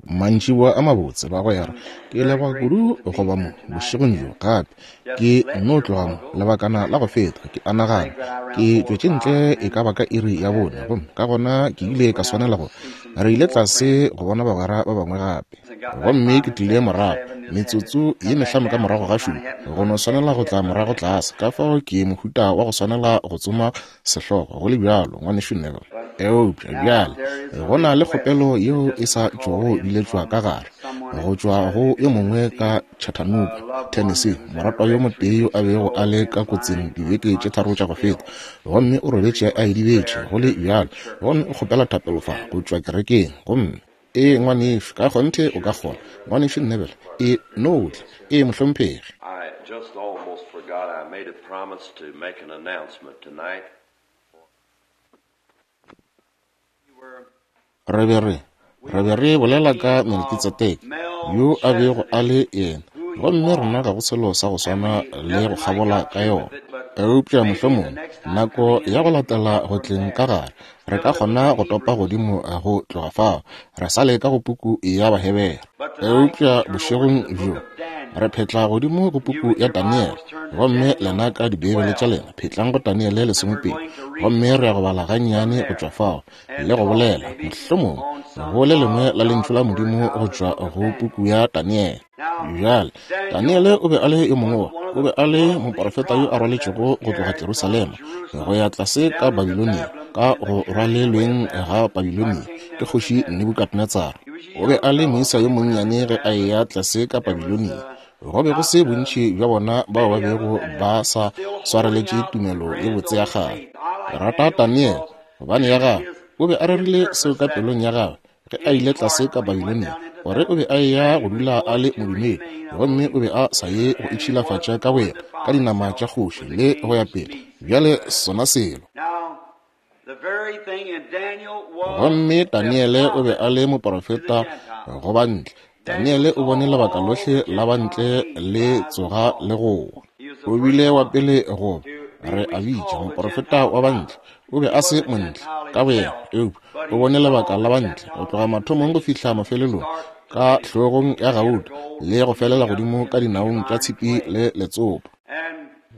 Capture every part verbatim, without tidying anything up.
Mantšiboa a mabotse, bagwera. Ke leboga kudu go ba mo bošegong bjo gape. Ke nno tloga mo lebakana la go feta, ke a nagana ke tšwetše ntle e ka ba ka iri ya bone, gomme ka gona ke ile ka swanela go re ile tlase go bona bagwera ba bangwe gape. Gomme ke tlile morago metsotso ye mehlano ka morago ga šupa, go no swanela go tla morago tlase. Ka fao ke mohuta wa go swanela go tsoma sehlogo go le bjalo, ngwanešu Neville. Eupša bjale go na le kgopelo yeo e sa tšwago biletšwa ka gare go tšwa go yo mongwe ka Chattanooga, Tennessee, moratwa yo motee yo a bego a le ka kotsing dibeke tše tharo tša go feta, gomme o robetše a idibetše go le bjalo, gomme o kgopela thapelo fa go tšwa kerekeng. Gomme ee, ngwanešu, ka kgonthe o ka kgona, ngwanešu Neville, e no tla. Ee, mohlomphegi. I just almost forgot I made a promise to make an announcement tonight. Re be re re be re bolela ka Melkitsedeke, yo a bego a le yena, gomme rena ga go selo sa go swana le go kgabola ka yona. Eupša mohlomongwe nako ya go latela go tleng ka gare re ka kgona go topa godimo go tloga fao, re sa le ka go puku ya Bahebere. Eupša bošegong bjo re phetla godimo go puku ya Daniele, gomme lena ka Dibeibele tša lena phetlang go Daniele lesomepedi, gomme re ya go bala gannyane go tšwa fao le go bolela mohlomongwe go le lengwe la lentšu la Modimo go tšwa go puku ya Daniele. Bjale Daniele o be a le yo mongwe wa, o be a le moprofeta yo a rwaletšego go tloga Jerusalema go ya tlase ka Babilonia, ka go rwalelweng ga Babilonia ke kgoši Nebukadnetsara. O be a le moisa yo monnyane ge a eya tlase ka Babilonia. Go be go se bontši bja bona bao ba bego ba sa swareletše tumelo ye botse ya kgale. Ke rata Daniele gobane ya gagwe o be a rerile seo ka pelong ya gagwe ge a ile tlase ka Babilonia, gore o be a eya go dula a le modumedi, gomme o be a sa ye go itšhilafatša ka boyena ka dinama tša kgoši le go ya pele. Bjale sona selo. Gomme Daniele o be a le moprofeta go bantle. Daniele o bone lebaka lohle la bantle le tsoga le go wa. O bile wa pele go re a bitša moprofeta wa bantle. O be a se montle ka boyena, eupša o bone lebaka la bantle go tloga mathomong go fihla mafelelong, ka hlogong ya gauta le go felela godimo ka dinaong tša tshipi le letsopa.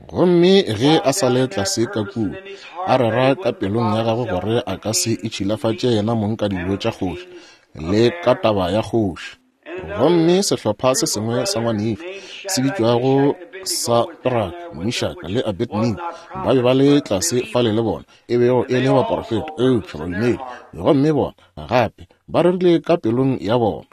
Gomme ge a sa le tlase ka kua, a rera ka pelong ya gagwe gore a ka se itšhilafatše yena mong ka dijo tša kgoši le ka taba ya kgoši. Gomme sehlopha se sengwe sa ngwanešu se bitšwago Sadraka, Meshaka le Abednego ba be ba le tlase fale le bona, e bego e le baprofeta eupša badumedi, gomme bona gape ba rerile ka pelong ya bona.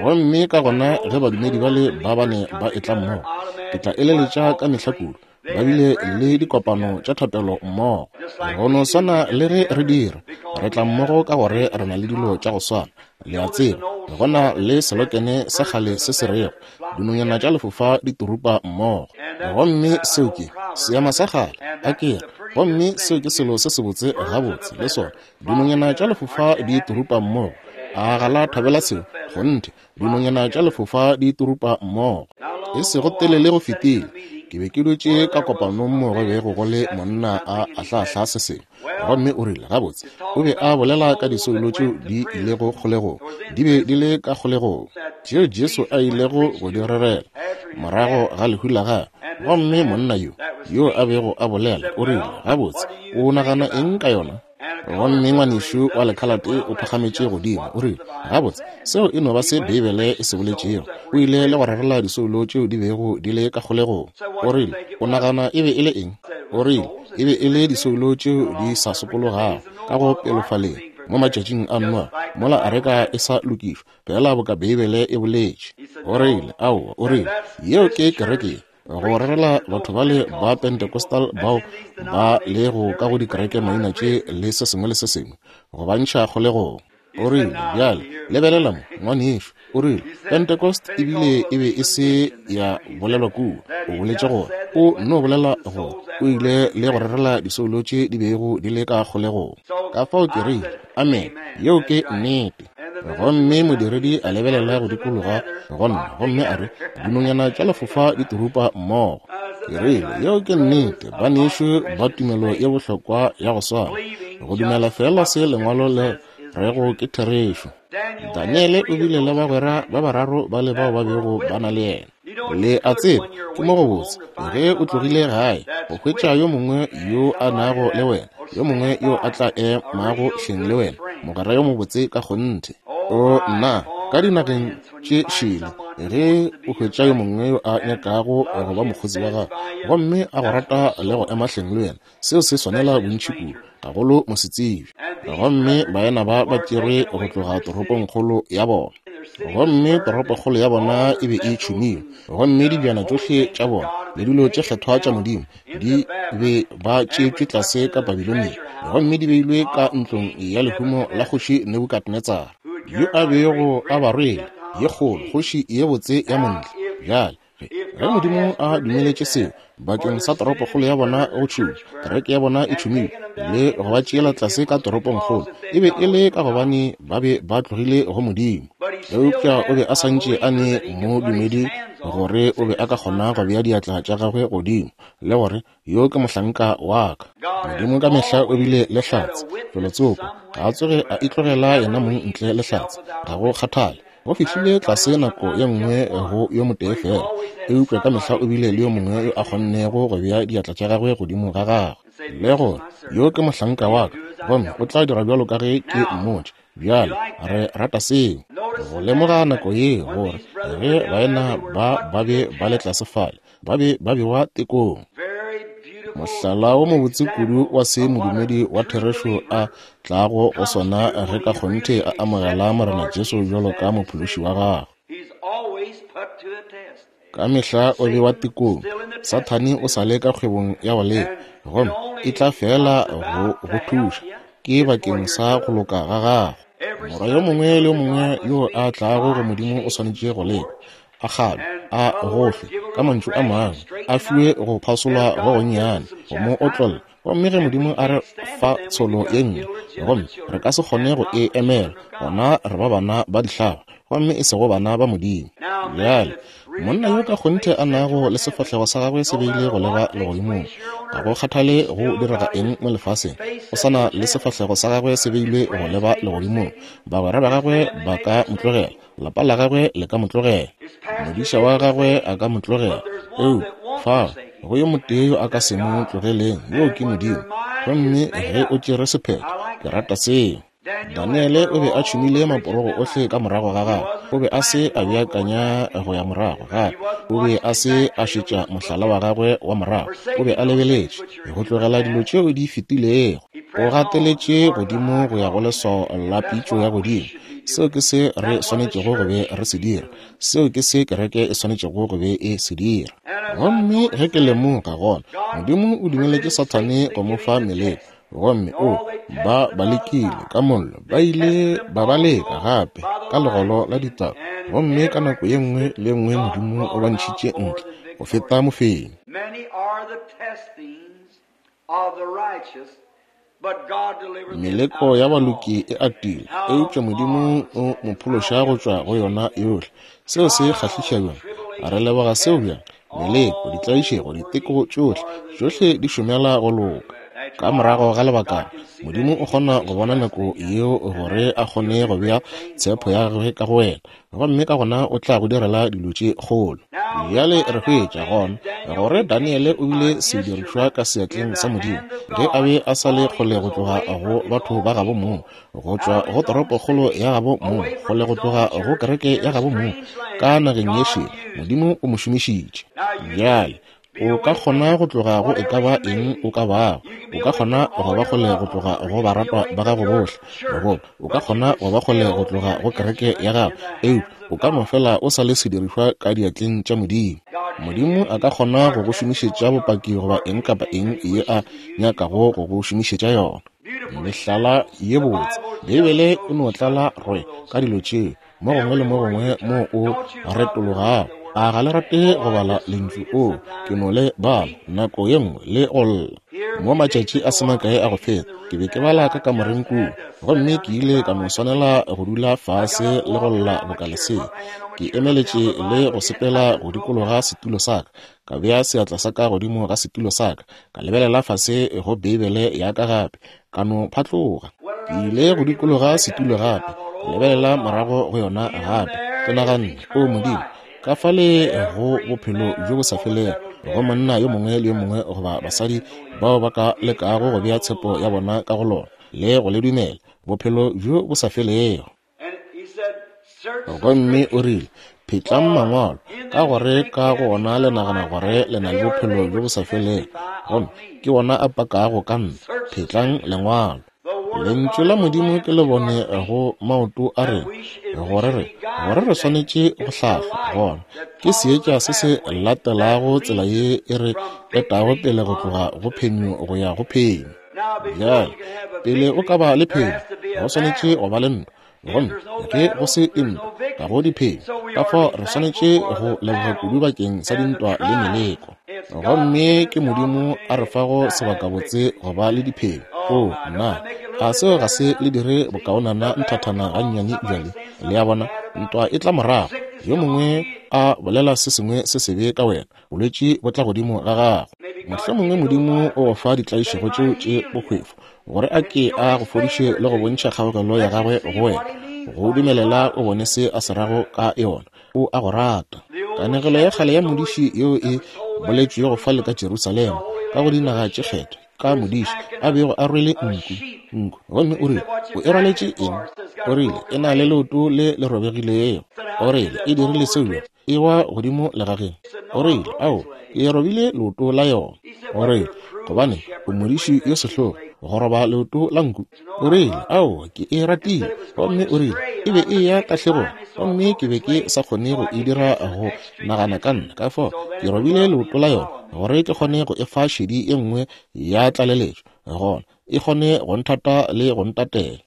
Gomme ka gona ge badumedi bale ba bane ba etla mmogo, ke tla eleletša ka mehla kudu, ba bile le dikopano tša thapelo mmogo. Go no swana le ge re dira, re tla mmogo ka gore re na le dilo tša go swana. Le a tseba, go na le selokene sa kgale se se rego dinonyana tša lefofa di turupa mmogo, gomme seo ke seema sa kgale a kere, gomme seo ke selo se sebotse gabotse le sona. Dinonyana tša lefofa di turupa mmogo. A ga la thabela seo? Kgonthe, dinonyana tša lefofa di turupa mmogo. E sego telele go fetile, ke be ke dutše ka kopanong mo go bego go le monna a ahlaahla se sengwe, gomme o rile gabotse o be a bolela ka disoulo tšeo di ilego kgolegong, di be di le ka kgolegong, tšeo Jesu a ilego go di rerela morago ga lehu la gagwe. Gomme monna yo yo a bego a bolela o rile gabotse o nagana eng ka yona? Gomme ngwanešu wa lekhalate o phagametše godimo, o rile gabotse seo e no ba se Beibele e se boletšego. O ile le go rerela disoulo tšeo di bego di le ka kgolegong. O rile o nagana e be e le eng? O rile e be e le disoulo tšeo di sa sokologago ka go pelofaleng mo matšatšing a Noa, mola areka e sa lokišwa, fela boka Beibele e boletše. O rile aowa, o rile yeo ke kereke go rerela batho bale ba Pentecostal bao ba lego ka go dikereke maina tše le se sengwe le se sengwe, go ba ntšha kgolegong. O rile bjale lebelela mo ngwanešu, o rile Pentecost ebile e be e se ya bolelwa kua. O boletše gore o no bolela gore o ile le go rerela disoulo tše di bego di le ka kgolegong. Ka fao ke rile amen, yeo ke nnete. Gomme modiredi a lebelela go dikologa go nna, gomme a re dinonyana tša lefofa di turupa mmogo. Ke rile yeo ke nnete, banešu ba tumelo ye bohlokwa ya go swana, go dumela fela se lengwalo le rego ke therešo. Daniele o bile le bagwera ba bararo ba le bao ba bego ba na le yena. Le a tseba, ke mo go botse ge o tlogile gae go hwetša yo mongwe yo a nago le wena, yo mongwe yo a tla emago hleng le wena, mogwera yo mobotse ka kgonthe. O nna, ka dinageng tše šele, ge o hwetša yo mongwe yo a nyakago go ba mokgotsi wa gago gomme a go rata le go ema hleng le wena, seo se swanela bontši kudu, gagolo mosetsebje. Gomme baena ba ba tšerwe go tloga toropongkgolo ya bona, gomme toropokgolo ya bona e be e tšhumilwe, gomme dibjana tšohle tša bona le dilo tše kgethwa tša Modimo di be ba tšeetšwe tlase ka Babilonia, gomme di beilwe ka ntlong ya lehumo la kgoši Nebukadnetsara, yo a bego a ba rwele ye kgolo, kgoši ye botse ya montle. Bjale ge Modimo a dumeletše seo bakeng sa toropokgolo ya bona go tšhuma, kereke ya bona e tšhumilwe le go ba tšeela tlase ka toropongkgolo, e be e le ka gobane ba be ba tlogile go Modimo. Eupša o be a santše a ne modumedi gore o be a ka kgona go bea diatla tša gagwe godimo le gore yo ke mohlanka wa ka. Modimo ka mehla o bile le hlatse felotsoko, ga a tsoge a itlogela yena mong ntle le hlatse, ga go kgathale. Go fihlile tlase nako ye nngwe go yo motee fela, eupša ka mehla o bile le yo mongwe yo a kgonnego go bea diatla tša gagwe godimo ga gagwe le gore yo ke mohlanka wa ka, gomme o tla dira bjalo ka ge ke mmotša. Bjale re rata seo, go lemoga nako ye gore ge baena ba ba be ba le tlase fale, ba be ba bewa tekong. Mohlala wo mobotse kudu wa se modumedi wa therešo a tlago go sona ge ka kgonthe a amogela Morena Jesu bjalo ka mophološi wa gagwe. Ka mehla o bewa tekong. Sathane o sa le ka kgwebong ya go leka, gomme e tla fela go go thuša, ke bakeng sa go loka ga gagwe. Morwa yo mongwe le yo mongwe yo a tlago go Modimo o swanetše go leka, a kgalwe, a gohlwe, ka mantšu a mangwe, a fiwe go phasolwa go gonnyane, go mo otlolla. Gomme ge Modimo a re fa tsholo ye nngwe, gomme re ka se kgone go e emela, gona re ba bana ba dihlaba, gomme e sego bana ba Modimo. Bjale monna yo ka kgonthe a nago le sefahlego sa gagwe se beile go leba legodimong, ga go kgathale go direga eng mo lefaseng, o sa na le sefahlego sa gagwe se beilwe go leba legodimong. Bagwera ba gagwe ba ka mo tlogela, lapa la gagwe le ka mo tlogela, modiša wa gagwe a ka mo tlogela, eupša fa go yo motee yo a ka se mo tlogeleng, yoo ke Modimo. Gomme ge o tšere sephetho, ke rata seo. Daniele o be a tšhumile maporogo ohle ka morago ga gagwe. O be a se a beakanya go ya morago gape. O be a se a šetša mohlala wa gagwe wa morago. O be a lebeletše go tlogela dilo tšeo di fetilego. O gateletše godimo go ya go leswao la pitšo ya godimo. Seo ke se re swanetšego go be re se dira. Seo ke se kereke e swanetšego go be e se dira. Gomme ge ke lemoga gona, Modimo o dumeletše Sathane go mo fa meleko. Gomme o ba ba lekile ka mollo, ba ile ba ba leka gape ka legolo la ditau, gomme ka nako ye nngwe le nngwe Modimo o ba ntšhitše ntle go feta mofenyi. Meleko ya baloki e atile, eupša Modimo o mo phološa go tšwa go yona yohle. Seo se kgahliša bjang! Re leboga seo bjang! Meleko, ditlaišego, diteko tšohle, tšohle di šomela go loka. Ka morago ga lebakana, Modimo o kgona go bona nako yeo gore a kgone go bea tshepo ya gagwe ka go wena, gomme ka gona o tla go direla dilo tše kgolo. Bjale re hwetša gona gore Daniele o bile sedirišwa ka seatleng sa Modimo ge a be a sa le kgole go tloga go batho ba gabo mong, go tšwa go toropokgolo ya gabo mong, kgole go tloga go kereke ya gabo mong, ka nageng ye šele. Modimo o mo šomišitše. Bjale o ka kgona go tloga go e ka ba eng o ka bago. O ka kgona go ba kgole go tloga go baratwa ba gago bohle, goba o ka kgona go ba kgole go tloga go kereke ya gago, eupša o ka no fela o sa le sedirišwa ka diatleng tša Modimo. Modimo a ka kgona go go šomišetša bopaki goba eng kapa eng ye a nyakago go go šomišetša yona. Mehlala ye botse, Beibele e no tlala rwe ka dilo tšeo, mo gongwe le mo gongwe mo o retologago. A ga le rate go bala lentšu o, ke no le bala nako ye nngwe le go lla. Mo matšatši a se makae a go feta, ke be ke bala ka kamoreng kua, gomme ke ile ka no swanela go dula fase le go lla boka lesea. Ke emeletše le go sepela go dikologa setulo sa ka, ka bea seatla sa ka godimo ga setulo sa ka, ka lebelela fase go Beibele ya ka gape, ka no phatloga. Ke ile go dikologa setulo gape, Lebelela morago go yona gape. Ke naganne, O Modimo, ka fale go bophelo bjo bo sa felego go monna yo mongwe le yo mongwe goba basadi bao ba ka lekago go bea tshepo ya bona ka go lona le go le dumela, bophelo bjo bo sa felego. Gomme o rile, phetlang mangwalo, ka gore ka go ona le nagana gore le na le bophelo bjo bo sa felego, gomme ke wona a pakago ka nna. Phetlang lengwalo. Lentšu la Modimo ke le bone go maoto a rena, gore re gore re swanetše go hlahlwa. Gona ke seetša se se latelago tsela ye e re etago pele go tloga go phenyo go ya go phenyo. Bjale, pele o ka ba le phenyo, go swanetše go ba le ntwa. Gomme ge go se ntwa, ga go diphenyo. Ka fao re swanetše go leboga kudu bakeng sa dintwa le meleko. Gomme ke Modimo a re fago sebakabotse go ba le diphenyo. O nna, ga seo ga se le dire bokaonana nthathana gannyane bjale. Le a bona, ntwa e tla morago. Yo mongwe a bolela se sengwe se sebe ka wena, bolwetši bo tla godimo ga gago. Mohlomongwe Modimo o go fa ditlaišego tšeo tše bohwefo gore a ke a go fodiše le go bontšha kgaogelo ya gagwe go wena, go dumelela o bone se a se rago ka yona. O a go rata. Kanegelo ya kgale ya modiši yeo e boletšwego fale ka Jerusalema, ka go dinaga tše kgethwa, ka modiši a bego a rwele nku nku gomme o rile, o e rwaletše eng? O rile, e na le leoto le le robegilego. O rile, e dirile seo bjang? E wa godimo legageng. O rile, ao, ke robile leoto la yona. O rile, gobane o modiši yo sehlogo go roba leoto la nku. O rile, ao, ke e ratile. Gomme o rile, e be e ya tahlegong, gomme ke be ke sa kgone go e dira go nagana ka nna. Ka fao ke robile leoto la yona gore ke kgone go e fa šedi e nngwe ya tlaleletšo, gona e kgone go nthata le go ntatela.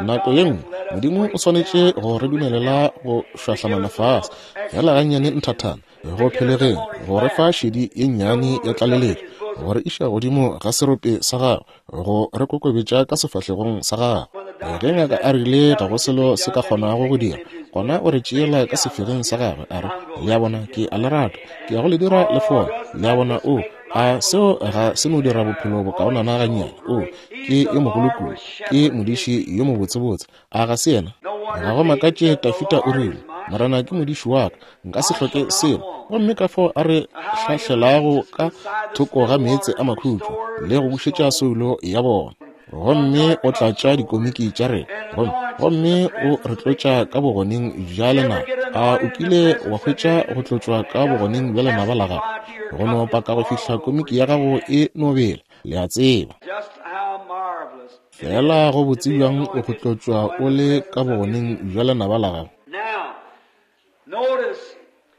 Nako ye nngwe Modimo o swanetše go re dumelela go šwahlamana fase fela gannyane nthathana go phelegeng, go re fa šedi ye nnyane ya tlaleletšo, go re iša godimo ga serope sa gagwe, go re kokobetša ka sefahlegong sa gagwe. Ge ngaka a rile ga go selo se ka kgonago go dira, gona o re tšeela ka sefegeng sa gagwe, a re, le a bona, ke a le rata, ke ya go le dira le fole. Le a bona, o a seo ga se no dira bophelo bokaonana gannyane. O ke yo mogolo kudu, ke modiši yo mobotsebotse, a ga se yena? Ga go makatše Tafita o rile, Morena ke modiši wa ka, nka se hloke selo. Gomme ka fao a re hlahlelago ka thoko ga meetse a makhutšo le go bušetša soulo ya bona. Gomme o tlatša dikomiki tša rena, gomme gomme o re tlotša ka bogoneng bja lenaba. A o kile wa hwetša go tlotšwa ka bogoneng bja lenaba la gago? Go no paka go fihla komiki ya gago e no bela, le a tseba. Fela go botse bjang o go tlotšwa o le ka bogoneng bja lenaba la gago.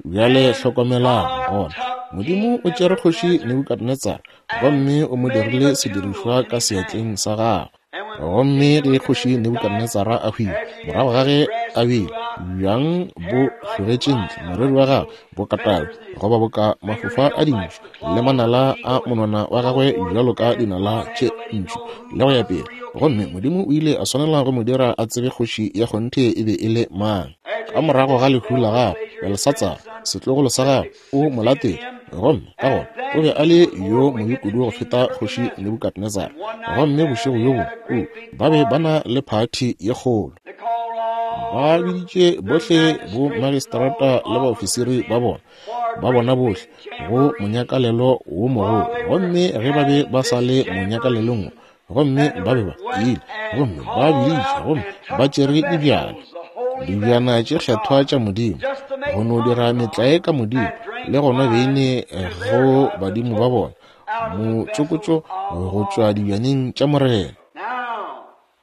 Bjale hlokomelang gona, Modimo o tšere kgoši Nebukadnetsara gomme o mo dirile sedirišwa ka seatleng sa gagwe. Gomme ge kgoši Nebukadnetsara a hwile, morago ga ge a bile bjang bo hlogetše ntle, moriri wa gagwe bo ka tau goba boka mafofa a dintšu, le manala a monwana wa gagwe bjalo ka dinala tše ntšu, le go ya pele. Gomme Modimo o ile a swanela go mo dira a tsebe kgoši ya kgonthe e be e le mang. Ka morago ga lehu la gagwe, Belshatsar, setlogolo sa gagwe, o mo latetše, gomme ka gona o be a le yo mobe kudu go feta kgoši Nebukadnetsara. Gomme bošego bjo bongwe ba be ba na le phathi ye kgolo. Ba biditše bohle bo magistrata le baofisiri ba bona, ba bona bohle go monyakalelo wo mogolo. Gomme ge ba be ba sa le monyakalelong, gomme ba be ba ile, gomme ba biditše, gomme ba tšere dibjana, dibjana tše kgethwa tša Modimo, go no dira metlae ka Modimo le go nwa beine go badimo ba bona, motšokotšo go tšwa dibjaneng tša Morena.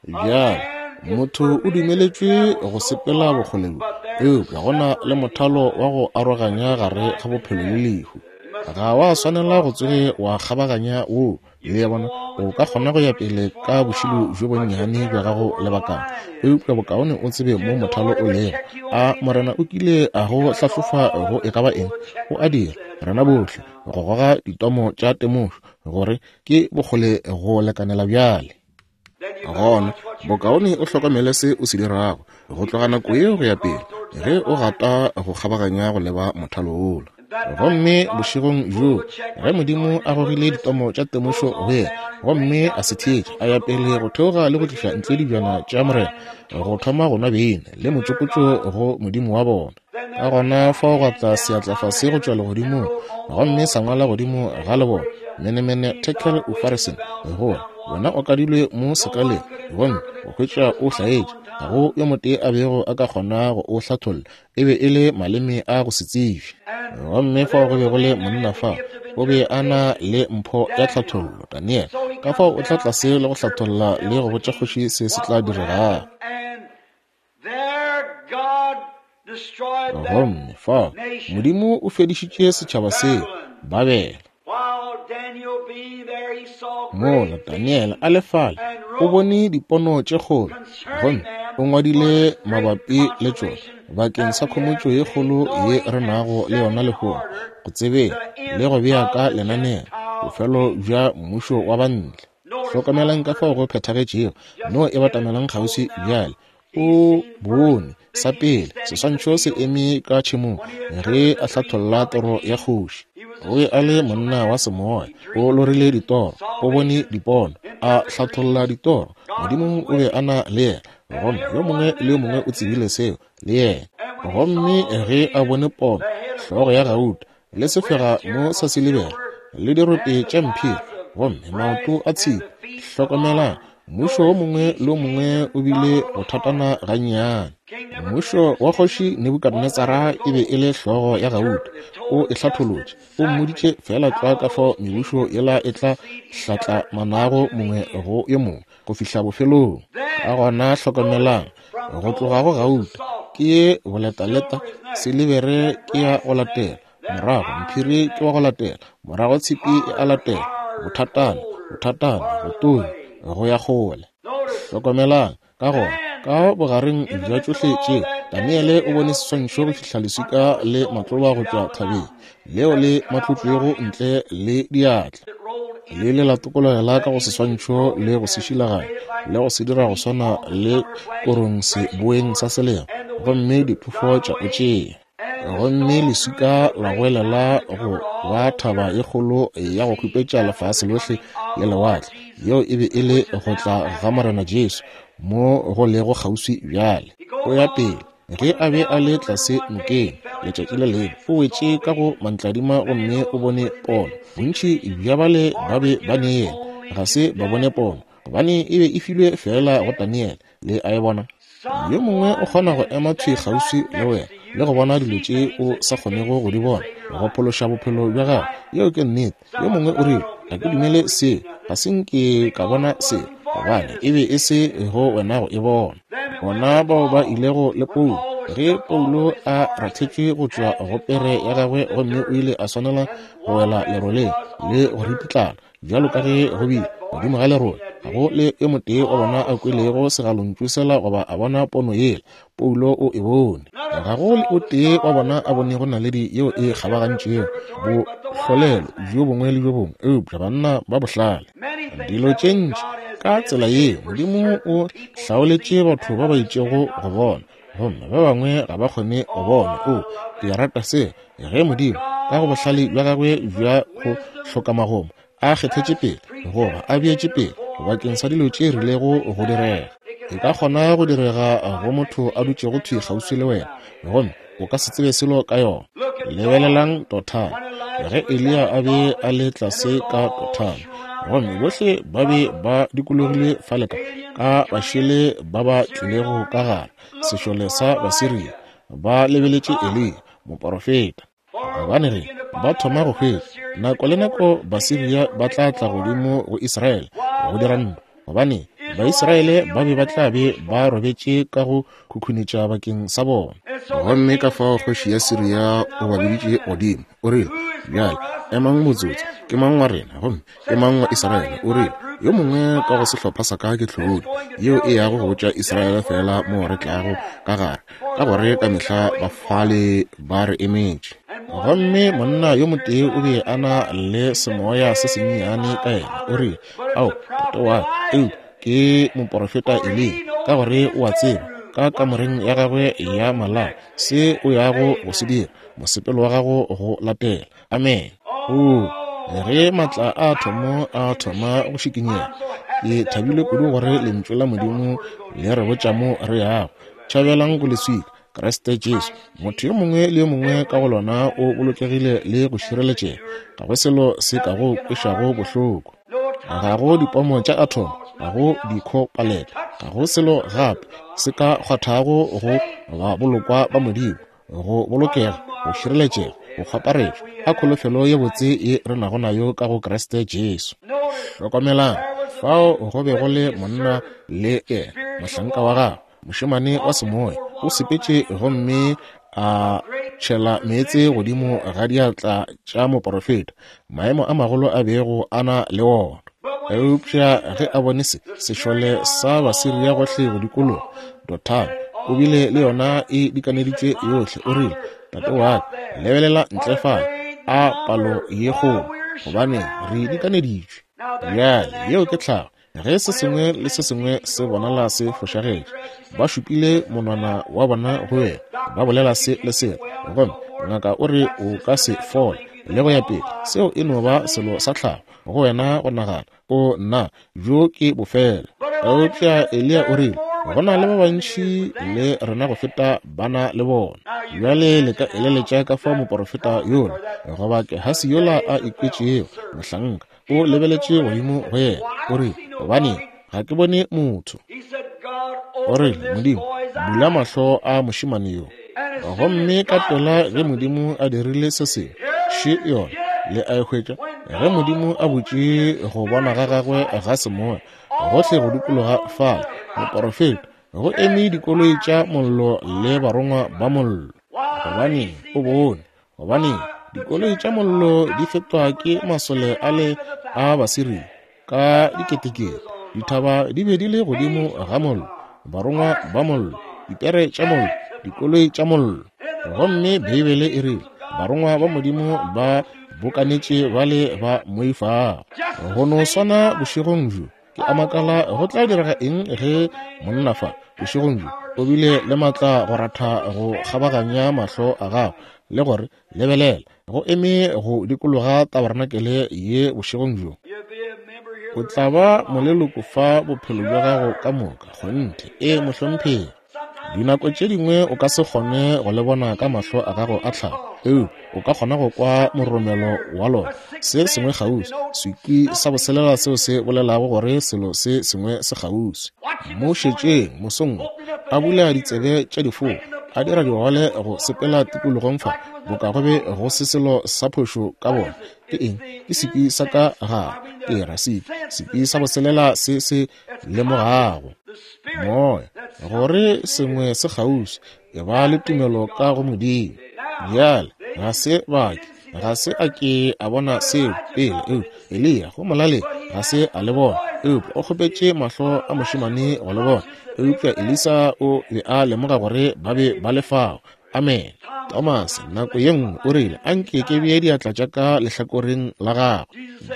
Bjale motho o dumeletšwe go sepela bokgole bjo, eupša go na le mothalo wa go aroganya gare ga bophelo le lehu. Ga wa swanela go tsoge wa kgabaganya woo. Le a bona, o ka kgona go ya pele ka bošilo bjo bonnyane bja gago lebakana, eupša bokaone o tsebe mo mothalo o lego. A Morena o kile a go hlahlofa go e ka ba eng? O a dira, rena bohle, go goga ditomo tša temošo gore ke bokgole go lekanela bjale. Gona bokaone o hlokomele se o se dirago go tloga nako yeo go ya pele, ge o gata go kgabaganya go leba mothalo wola. Gomme bošegong bjoo ge Modimo a gogile ditomo tša temošo go yena, gomme a se theetše, a ya pele go theoga le go tliša ntle dibjana tša Morena, go thoma go nwa beine le motšokotšo go Modimo wa bona. Ka gona fao gwa tla seatla fase go tšwa legodimong, gomme sa ngwala godimo ga lebona, Menemene Tekel Ufarsin, gore wena o kadilwe mo sekaleng, gomme o hwetša o hlaetše. Ga go yo motee a bego a ka kgona go o hlatholla, e be e le maleme a go se tsebje. Gomme fao go be go le monna fa, o be a na le mpho ya tlhathollo, Daniel. Ka fao o tla tlase le go hlatholla le go botša kgoši se se tla diregago. Gomme fao Modimo o fedišitše setšhaba seo, Babele. Mola Daniel a le fale, o bone dipono tše kgolo, gomme o ngwadile mabapi le tšona bakeng sa khomotšo ye kgolo ye re nago le yona lehono, go tsebeng le go bea ka lenaneo bofelo bja mmušo wa bantle. Hlokomelang ka fao go phethagetšego, no e batamelang kgauswi bjale. O bone sa pele seswantšho se eme ka tšhemong ge a hlatholla toro ya kgoši. O be a le monna wa semoya, o lorile ditoro, o bone dipono, a hlatholla ditoro. Modimo o be a na le yena, gomme yo mongwe le yo mongwe o tsebile seo le yena. Gomme ge a bone pono, hlogo ya gauta le sefega mo sa silibera le dirope tša mphiri, gomme maoto a tshipi. Hlokomelang, mmušo wo mongwe le wo mongwe o bile go thatana gannyane. Mmušo wa kgoši Nebukadnetsara e be e le hlogo ya gauta, o e hlatholotše, o mmoditše fela tlwa ka fao mebušo yela e tla hlatlamanago mongwe go yo mongwe go fihla bofelong. Ka gona hlokomelang, go tloga go gauta ke ye boletaleta, silibere ke ya go latela, morago mphiri ke wa go latela, morago tshipi e a latela, bothatana, bothatana, botonya, go ya kgole. Hlokomelang, ka gona ka bogareng bja tšohle tšeo, Daniele o bone seswantšho go fihla leswika le matloba go tšwa thabeng leo le matlotšwego ntle le diatla. Le le la tokologela ka go seswantšho le go se šilaganya le go se dira go swana le korong seboeng sa selemo, gomme diphefo tša o tšea. Gomme leswika la goelela go ba thaba ye kgolo ya go khupetša lefase lohle le lewatle. Yeo e be e le go tla ga Morena Jesu mo go lego kgauswi bjale. O ya pele ge a be a le tlase nokeng letšatši le lengwe, o wetše ka go mantladima gomme o bone pono. Bontši bja bale ba be ba ne yena, ga se ba bone pono, gobane e be e filwe fela go Daniel. Le a e bona? Yo mongwe o kgona go ema thwi kgauswi le wena le go bona dilo tše o sa kgonego go di bona, go phološa bophelo bja gago. Yeo ke nnete. Yo mongwe o rile, ga ke dumele seo, ga se nke ka bona seo, gobane e be e se go wena go e bona. Bona bao ba ilego le Paulo, ge Paulo a rathetšwe go tšwa go pere ya gagwe, gomme o ile a swanela go wela leroleng le go ripitlana bjalo ka ge go bile godimo ga lerole, ga go le yo motee wa bona a kwelego segalontšu sela goba a bona pono yela. Paulo o e bone. Ga go le o tee wa bona a bonego naledi yeo e kgabagantšego bohlolelo bjo bongwe le bjo bongwe, eupša banna ba bohlale. Dilo tše ntši ka tsela ye Modimo o hlaoletše batho ba ba itšego go bona, gomme ba bangwe ga ba kgone go bona. O, ke rata se, ge Modimo ka go bohlale bja gagwe bja go hloka magomo a kgethetše pele goba a beetše pele bakeng sa dilo tše rilego go direga. E ka kgona go direga go motho a dutšego thwi kgauswi le wena, gomme o ka se tsebe selo ka yona. Lebelelang Dothane, ge Eliya a be a le tlase ka Dothane, gomme bohle ba be ba dikologile fale ka ka bašele ba ba tlilego ka gare sešole sa Basiria, ba lebeletše Eliya moporofeta. Gobane ge ba thoma go hwetša, nako le nako Basiria ba tla tla godimo go Israele go dira ntwa, gobane Baisraele ba be ba tla be ba robetše ka go khukhunetša bakeng sa bona. Gomme ka fao kgoši ya Siria o ba biditše godimo, o rile, bjale emang motsotso, ke mang wa rena gomme ke mang wa Israele? O rile, yo mongwe ka go sehlopha sa ka ke tlhodi yeo e yago go botša Israele fela mo re tlago ka gare, ka gore ka mehla ba fale ba re emetše. Gomme monna yo motee o be a na le semoya se sennyane ka yena, o rile, ao tate wa, eupša ke moporofeta Eliya, ka gore o a tseba ka kamoreng ya gagwe ya malao, se o yago go se dira, mosepelo wa gago go latela. Amen. Oo, ge maatla a thomo a thoma go šikinyega, ke thabile kudu gore lentšu la Modimo le re botša mo re yago. Tšhabelang go leswika, Kriste Jesu. Motho yo mongwe le yo mongwe ka go lona o bolokegile le go šireletšega. Ga go selo se ka go kwešago bohloko. Ga go dipomo tša athomo, ga go dikhopalete, ga go selo gape se ka kgwathago go ba bolokwa ba Modimo, go bolokega, go šireletšega, go kgwaparetšwa a kholofelo ye botse ye re nago nayo ka go Kriste Jesu. Hlokomelang, fao go be go le monna le yena, mohlanka wa gagwe, mošemane wa semoya, o sepetše gomme a tšhela meetse godimo ga diatla tša moporofeta, maemo a magolo a bego a na le wona. Eupša ge a bone se, sešole sa Basiria gohle go dikologa Dothane, o bile le yona e dikaneditšwe yohle. O rile, tate wa ka, lebelela ntle fale, a palo ye kgolo, gobane re dikaneditšwe. Bjale yeo ke tlhago. Ge se sengwe le se sengwe se bonala se fošagetše, ba šupile monwana wa bona go wena, ba bolela se le se, gomme ngaka o re o ka se fole, le go ya pele. Seo e no ba selo sa tlhago go wena go nagana, o nna, bjo ke bofelo. Eupša Eliya o rile, go na le ba bantši le rena go feta bana le bona. Bjale le ka eleletša ka fao moporofeta yola, goba Gehasi yola a ikwetšego, mohlanka, o lebeletše godimo go yena, o rile, gobane ga ke bone motho. O rile, Modimo, bula mahlo a mošemane yo. Gomme ka pela ge Modimo a dirile se sengwe, še yona, le a e hwetša. Ge Modimo a butše go bona ga gagwe ga semoya gohle go dikologa fale, moporofeta, go eme dikoloi tša mollo le barongwa ba mollo. Gobane o bone, gobane dikoloi tša mollo di fetwa ke masole a le a Basiria ka diketekete. Dithaba di be di le godimo ga mollo, barongwa ba mollo, dipere tša mollo, dikoloi tša mollo. Gomme Beibele e rile, barongwa ba Modimo ba bokanetše ba le ba moifago. Go no swana bošegong bjo, ke a makala go tla direga eng ge monna fa bošegong bjo o bile le maatla go ratha go kgabaganya mahlo a gago le gore lebelela, go eme go dikologa tabarenakele ye bošegong bjo. O tla ba moleloko fa bophelo bja gago ka moka. Kgonthe, e mohlomphegi. Dinako tše dingwe o ka se kgone go le bona ka mahlo a gago a tlhago, eupša o ka kgona go kwa moromelo wa lona, se sengwe kgauswi, sekwi sa boselela seo se bolelago gore selo se sengwe se kgauswi. Mo šetšeng mosong wo, a bula ditsebe tša difoa, a dira digole go sepela tikologong fa, boka go be go se selo sa phošo ka bona. Ke eng? Ke sekwi sa ka gare, ke ra sekwi, sekwi sa boselela se se lemogago moya gore sengwe se kgauswi. E ba le tumelo ka go Modimo. Bjale ga se bake, ga se a ke a bona seo pele, eupša Eliya go molaleng ga se a le bona, eupša o kgopetše mahlo a mošemane go le bona. Eupša Elisa o be a lemoga gore ba be ba le fao. Amen. Thomas nako ye nngwe o rile, anke ke bee diatla tša ka lehlakoreng la gagwe.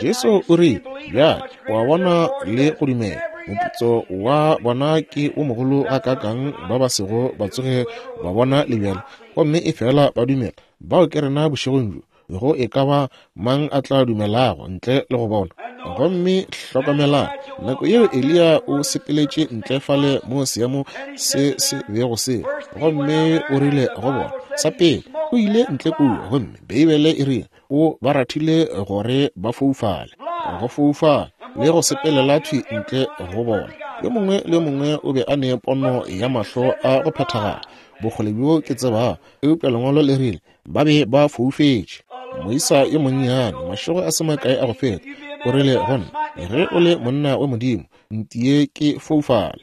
Jesu o rile, bjale o a bona le go dumela. Moputso wa bona ke o mogolo gakaakang ba ba sego ba tsoge ba bona le bjale, gomme e fela ba dumela. Bao ke rena bošegong bjo, go e ka ba mang a tla dumelago ntle le go bona. Gomme hlokomelang, nako yeo Eliya o sepeletše ntle fale mo seemo se se bego se, gomme o rile go bona, sa pele o ile ntle kua, gomme Beibele e rile o ba rathile gore ba foufale, go foufala le go sepelela thwi ntle go bona. Yo mongwe le yo mongwe o be a ne pono ya mahlo a go phethagala, bokgole bjo ke tsebago, eupša lengwalo le rile ba be ba foufetše. Moisa yo monnyane, mašego a se makae a go feta, o rile go nna, ge o le monna wa Modimo, ntie ke foufale.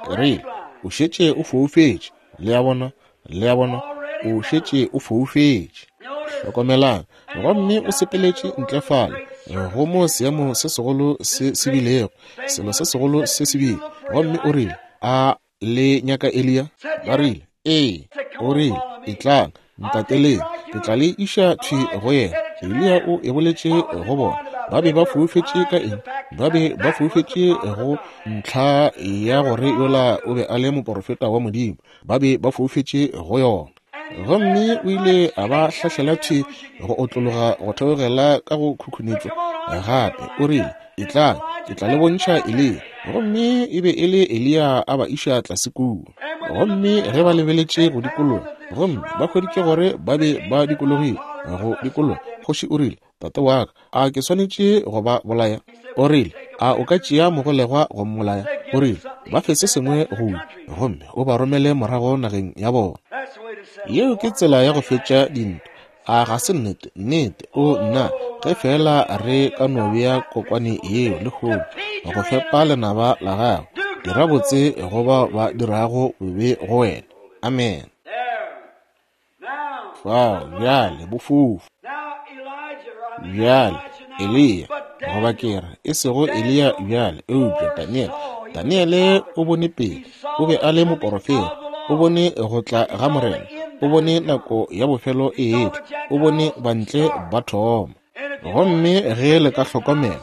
Ke rile, o šetše o foufetše. Le a bona, le a bona, o šetše o foufetše. Hlokomelang, gomme o sepeletše ntle fale go mo seemo se segolo se se bilego, selo se segolo se se bile, gomme o rile, a le nyaka Eliya? Ba rile, ee. O rile, etlang, ntateleng, ke tla le iša thwi go yena. Eliya o e boletše go bona. Ba be ba foufetše ka eng? Ba be ba foufetše go ntlha ya gore yola o be a le moporofeta wa Modimo. Ba be ba foufetše go yona. Gomme o ile a ba hlahlela thwi go otlologa go theogela ka go khukhunetšwa gape. O rile, etlang, ke tla le bontšha Eliya. Gomme e be e le Eliya a ba iša tlase kua. Gomme ge ba lebeletše go dikologa, gomme ba hweditše gore ba be ba dikologile go dikologa, kgoši o rile, tate wa ka, a ke swanetše go ba bolaya? O rile, a o ka tšea mogolegwa go mmolaya? O rile, ba fe se sengwe go ja, gomme o ba romele morago nageng ya bona. Yeo ke tsela ya go fetša dintwa. A ga se nnete? Nnete. O nna, ge fela re ka no bea kokwane yeo lehono go fepa lenaba la gago, dira botse go bao ba dirago bobe go wena. Amen. Fao bjale bofofu. Bjale Eliya, goba ke re e sego Eliya bjale, eupša Daniele. Daniele o bone pele, o be a le moporofeta, o bone go tla ga Morena, o bone nako ya bofelo e etla, o bone bantle ba thoma. Gomme ge le ka hlokomela,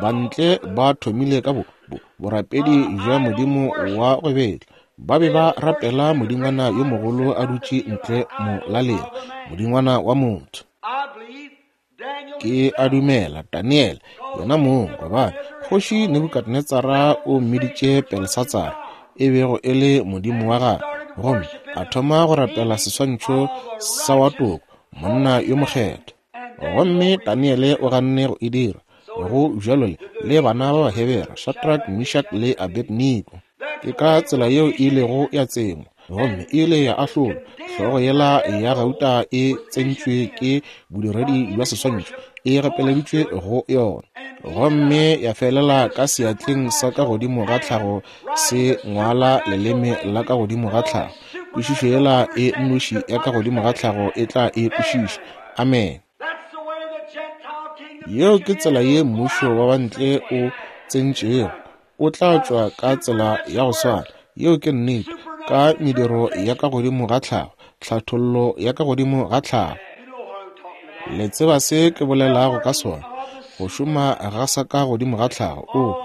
bantle ba thomile ka bo, bo, borapedi bja modimo wa go betla. Ba be ba rapela modingwana yo mogolo a dutše ntle molaleng, modingwana wa motho. Ke a dumela Daniele yena mong, gobane kgoši Nebukadnetsara o mmiditše Belsatsara, e bego e le modimo wa gagwe, gomme a thoma go rapela seswantšho sa wa toko, monna yo mokgethwa. Gomme Daniele o ganne go e dira. Go bjalo le le bana ba Bahebere, Shadrach, Meshach le Abednego. Ke ka tsela yeo e ilego ya tsengwa, gomme e ile ya ahlolwa. Hlogo yela ya gauta e tsentšwe ke bodiredi bja seswantšho, e gapeleditšwe go yona, gomme ya felela ka seatleng sa ka godimo ga tlhago se ngwala leleme la ka godimo ga tlhago. Kwešišo yela e nnoši ya ka godimo ga tlhago e tla e kwešiša. Amen. Yeo ke tsela ye mmušo wa bantle o tsentšego. O tla tšwa ka tsela ya go swana. Yeo ke nnete, ka mediro ya ka godimo ga tlhago, tlhathollo ya ka godimo ga tlhago. Le tseba se ke bolelago ka sona, go šoma ga sa ka godimo ga tlhago. O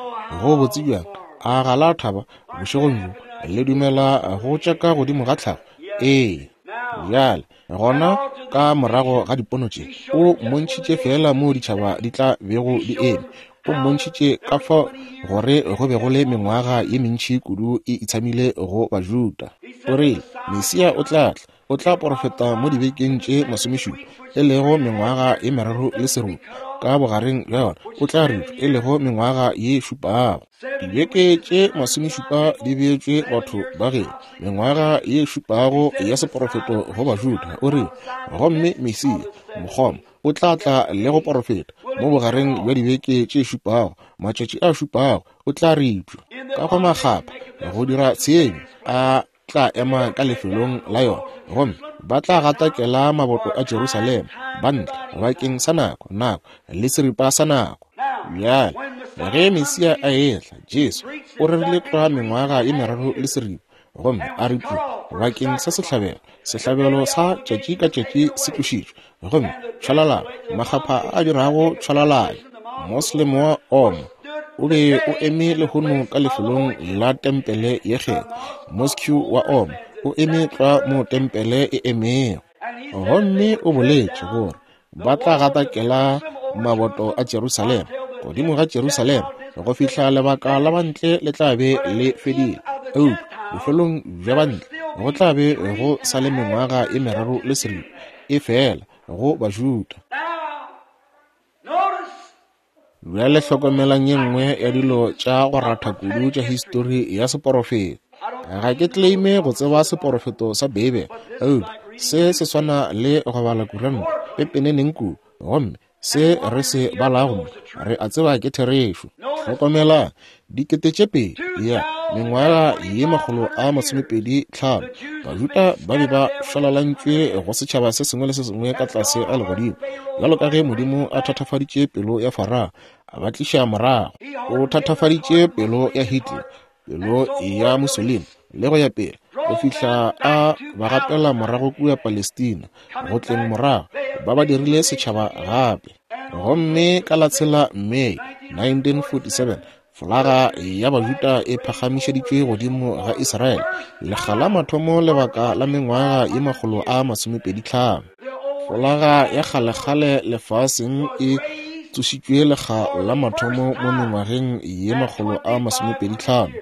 go botse bjang, a ga la thaba bošegong bjo? Le dumela go tša ka godimo ga tlhago? Ee. Bjale gona ka morago ga dipono tše, o mmontšhitše fela moo ditšhaba di tla bego di eme. O mmontšhitše ka fao gore go be go le mengwaga ye mentši kudu e itshamile go Bajuda. O rile, Mesia o tla tla, o tla porofeta mo dibekeng tše masomešupa, e lego mengwaga ye meraro le serupa. Ka bogareng bja yona o tla ripša, e lego mengwaga ye šupago. Dibeke tše masomešupa di beetšwe batho ba geno, mengwaga ye šupago ya seporofeto go Bajuda. O rile, gomme Mesia mokgoma o tla tla le go porofeta mo bogareng bja dibeke tše šupago, matšatši a šupago o tla ripša ka go makgapa go dira tshenyo, a tla ema ka lefelong la yona, gomme ba tla gatakela maboto a Jerusalema bantle bakeng sa nako, nako le seripa sa nako. Bjale ge Mesia a etla, Jesu o rerile tlwa mengwaga ye meraro le seripa, gomme a ripša bakeng sa sehlabelo. Sehlabelo sa tšatši ka tšatši se tlošitšwe, gomme tšhwalalana, makgapha a dirago tšhwalalana. Moslem wa Omo o be o eme lehono ka lefelong la tempele ye kgethwa. Mosque wa Omo o eme tlwa mo tempele e emego, gomme o boletše gore ba tla gatakela maboto a Jerusalema, godimo ga Jerusalema, go fihla lebaka la bantle le tla be le fedile. Eupša bofelong bja bantle go tla be go sa le mengwaga ye meraro le seripa e fela go Bajuda. Bjale hlokomelang ye nngwe ya dilo tša go ratha kudu tša histori ya seporofeto. Ga ke claime go tseba seporofeto sa Beibele, eupša se se swana le go bala kuranta pepeneneng kudu, gomme se re se balago mo re a tseba ke therešo. Hlokomelang, dikete tše pedi ya mengwaga ye makgolo a masomepedi tlhano, Bajuda ba be ba šwalalantšwe go setšhaba se sengwe le se sengwe ka tlase ga legodimo, bjalo ka ge Modimo a thatafaditše pelo ya Farao a ba tliša morago. O thatafaditše pelo ya Hitler, pelo ya Mussolini, le go ya pele, go fihla a ba gapela morago kua Palestina. Go tleng morago ba ba dirile setšhaba gape. Gomme ka la tshela Mei nineteen forty-seven, folaga ya Bajuda e phagamišeditšwe godimo ga Israele lekga la mathomo lebaka la mengwaga ye makgolo a masomepedi tlhano. Folaga ya kgalekgale lefaseng e tsošitšwe lekga la mathomo mo mengwageng ye makgolo a masomepedi tlhano.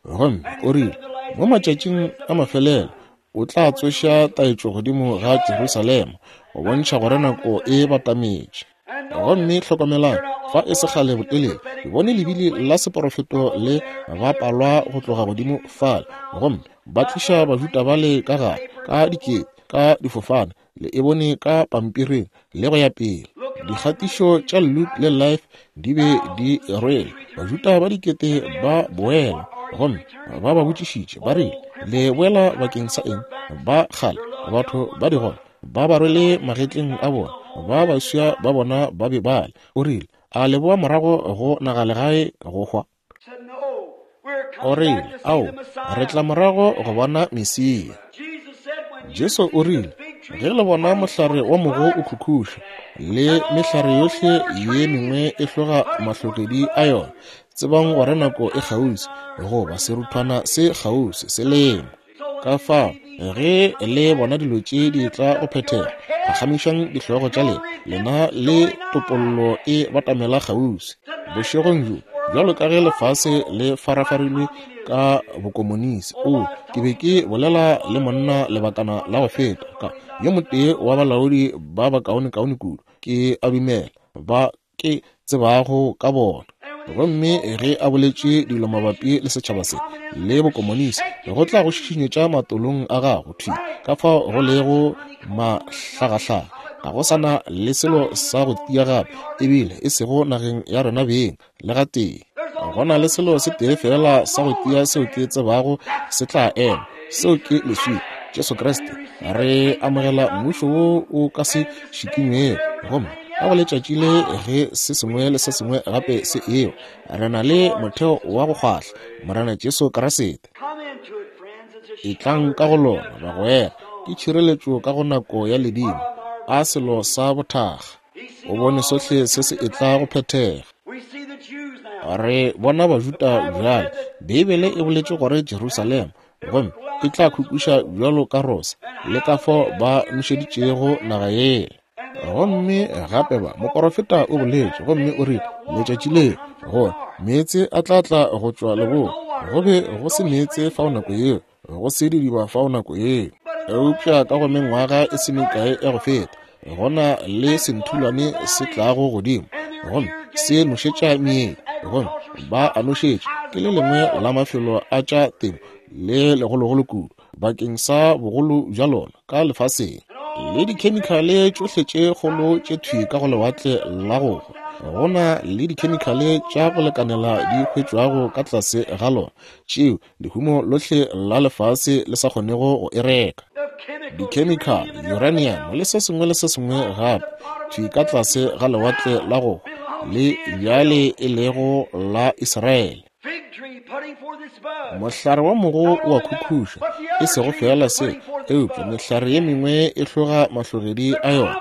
Gomme o rile mo matšatšing a mafelelo o tla tsoša taetšo godimo ga Jerusalema go bontšha gore nako e batametše. Gomme hlokomelang, fa e se kgale botelele, ke bone lebili la seporofeto le bapalwa go tloga godimo fale, gomme ba tliša Bajuda bale ka gare ka dikete ka difofane, le e bone ka pampiring le go ya pele. Dikgatišo tša Look le Life di be di rwele Bajuda ba dikete ba boela, gomme ba ba botšišitše ba rile, le boela bakeng sa eng? Ba kgale batho ba digole ba ba rwele magetleng a bona, ba baswa ba bona ba be bale. O rile, a le boa morago go nagalegae go hwa? O rile, ao, re tla morago go bona Mesia. Jesu o rile, ge le bona mohlare wa mogo o khukhuša le mehlare yohle ye mengwe e hloga mahlogedi a yona, tsebang gore nako e kgauswi, goba seruthwana se kgauswi se lengwa. Ka fao ge le bona dilo tše di tla go phethega, phagamišang dihlogo tša lena, lena le topollo e batamela kgauswi. Bošegong bjo, bjalo ka ge lefase le farafarilwe ka bokomonisi, o ke be ke bolela le monna lebakana la go feta ka yo motee wa balaodi ba bakaonekaone kudu ke a dumela ba ke tsebago ka bona. Gomme ge a boletše dilo mabapi le setšhaba se le bokomonisi, go tla go šišinyetša matolong a gago thwi ka fao go lego mahlagahlaga. Ga go sana le selo sa go tia gape, ebile e sego nageng ya rena beng le gatee. Go na le selo se tee fela sa go tia seo ke tsebago se tla ema, seo ke leswika, Jesu Kriste. Re amogela mmušo wo o ka se šikinywego, gomme ka go letšatši le ge se sengwe le se sengwe gape se ewa, re na le motheo wa go kgwahla, Morena Jesu Kriste. Etlang ka go lona bagwera, ke tšhireletšo ka go nako ya ledimo, a selo sa bothaga. O bone sohle se se etla go phethega. Re bona Bajuda bjale. Beibele e boletše gore Jerusalema gomme e tla khukhuša bjalo ka rosa, le ka fao ba nošeditšego naga yela. Gomme gape ba moporofeta o boletše gomme o rile letšatši leo gore meetse a tla tla go tšwa leboa. Go be go se meetse fao nako yeo, go se didiba fao nako yeo. Eupša ka go mengwaga e se mekae ya go feta, go na le senthulwane se tlago godimo gomme se nošetša meedi, gomme ba a nošetša. Ke le lengwe la mafelo a tša temo le legologolo kudu bakeng sa bogolo bja lona ka lefaseng, le dikhemikhale tšohle tše kgolo tše thwi ka go lewatle la go hwa. Go na le dikhemikhale tša go lekanela di hwetšwago ka tlase ga lona tšeo lehumo lohle la lefase le sa kgonego go e reka. Dikhemikhale, uranium le se sengwe le se sengwe gape thwi ka tlase ga lewatle la go hwa le bjale e lego la Israele. Mohlare wa mogo o a khukhuša, e sego fela se, eupša mehlare ye mengwe e hloga mahlogedi a yona.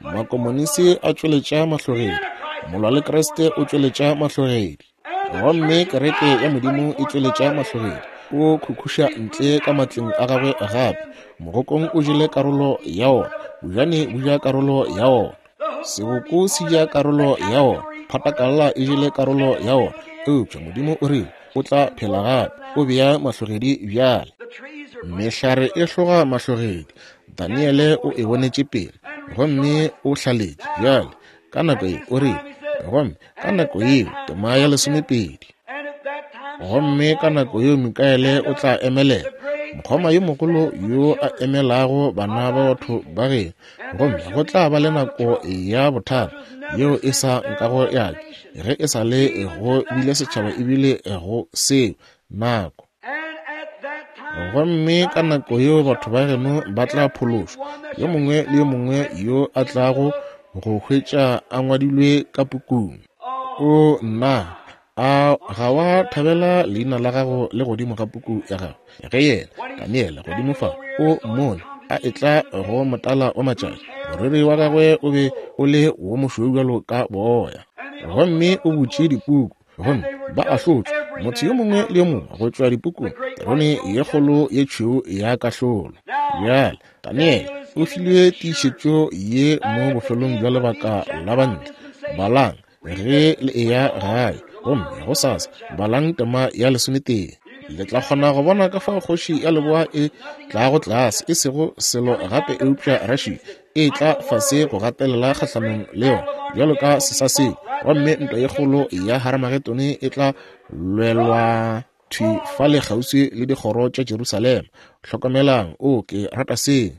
Makomonisi a tšweletša mahlogedi, molwa le Kriste o tšweletša mahlogedi, gomme kereke ya Modimo e tšweletša mahlogedi. O khukhuša ntle ka matleng a gagwe gape. Mogokong o jele karolo ya ona, bojane bo ja karolo ya ona, seboko se ja karolo ya ona, phatakalla e jele karolo ya ona. Eupša Modimo o rile o tla phela gape, o bea mahlogedi bjale. Mehlare e hloga mahlogedi. Daniele o e bonetše pele gomme o hlaletše bjale ka nako ye o rile, gomme ka nako yeo tema ya lesomepedi, gomme ka nako yeo Mikaele o tla emelela, mokgoma yo mogolo yo a emelago bana ba batho ba geno, gomme go tla ba le nako ya bothata yeo e sa nkago ya ke ge e sa le go bile setšhaba ebile go seo nako. Gomme ka nako yeo batho ba geno ba tla phološwa, yo mongwe le yo mongwe yo a tlago go hwetša a ngwadilwe ka pukung. O nna, a ga wa thabela leina la gago le godimo ga puku ya gago? Ge yena Daniele godimo fa o mmone a etla go motala wa matšatši, moriri wa gagwe o be o le wo mošweu bjalo ka boya. Gomme o butše dipuku, gomme ba ahlotšwe, motho yo mongwe le yo mongwe go tšwa dipukung, terone ye kgolo ye tšhweu ya kahlolo. Bjale Daniele o filwe tiišetšo ye mo bofelong bja lebaka la bantle. Balang ge le eya gae, gomme gosasa balang tema ya lesometee. Le tla kgona go bona ka fao kgoši ya leboa e tlago tlase, e sego selo gape eupša Russia e tla fase go gatelela kgahlanong le yona bjalo ka sesasedi, gomme ntwa ye kgolo ya Haramagedone e tla lwelwa thwi fale kgauswi le dikgoro tša Jerusalema. Hlokomelang, o ke rata se.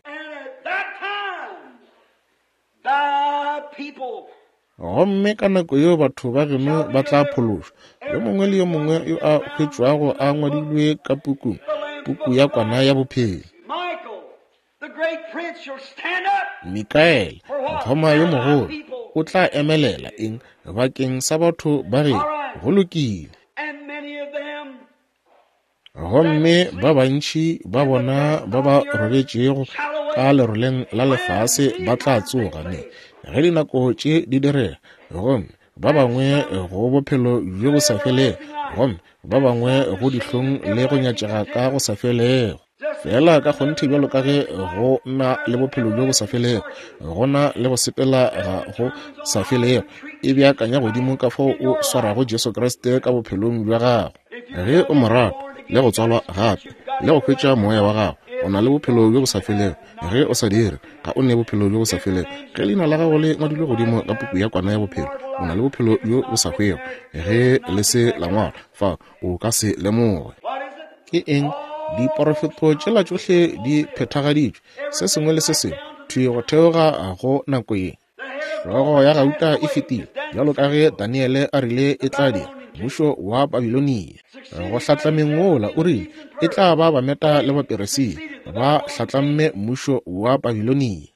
Gomme ka nako yeo batho ba geno ba tla phološwa, yo mongwe le yo mongwe yo a hwetšwago a ngwadilwe ka pukung, puku ya kwana ya bophelo. Mikaele, mokgoma yo mogolo, o tla emelela eng bakeng sa batho ba geno? Go lokile. Gomme ba bantši ba bona ba ba robetšego ka leroleng la lefase ba tla tsoga, me ge dinako tše di direga, gomme ba bangwe go bophelo bjo bo sa felego, gomme ba bangwe go dihlong le go nyatšega ka go sa felego. Fela ka kgonthe bjalo ka ge go na le bophelo bjo bo sa felego, go na le go sepela ga go sa felego. E beakanya godimo ka fao o swarago Jesu Kriste ka bophelong bja gago. Ge o mo rata le go tswalwa gape le go hwetša moya wa gago, o na le bophelo bjo bo sa felego. Ge o sa dire, ga o ne bophelo bjo bo sa felego. Ge leina la gago le ngwadilwe godimo ka puku ya kwana ya bophelo, o na le bophelo bjo bo sa hwego. Ge le se la ngwalwa fa, o ka se lemoge. Ke eng? Diporofeto tšela tšohle di phethagaditšwe, se sengwe le se sengwe, thwi go theoga go nako ye. Hlogo ya gauta e fetile, bjalo ka ge Daniele a rile e tla dira, mmušo wa Babilonia. Go hlatlameng wola o rile e tla ba Bameta le Baperesia, ba hlatlamme mmušo wa Babilonia.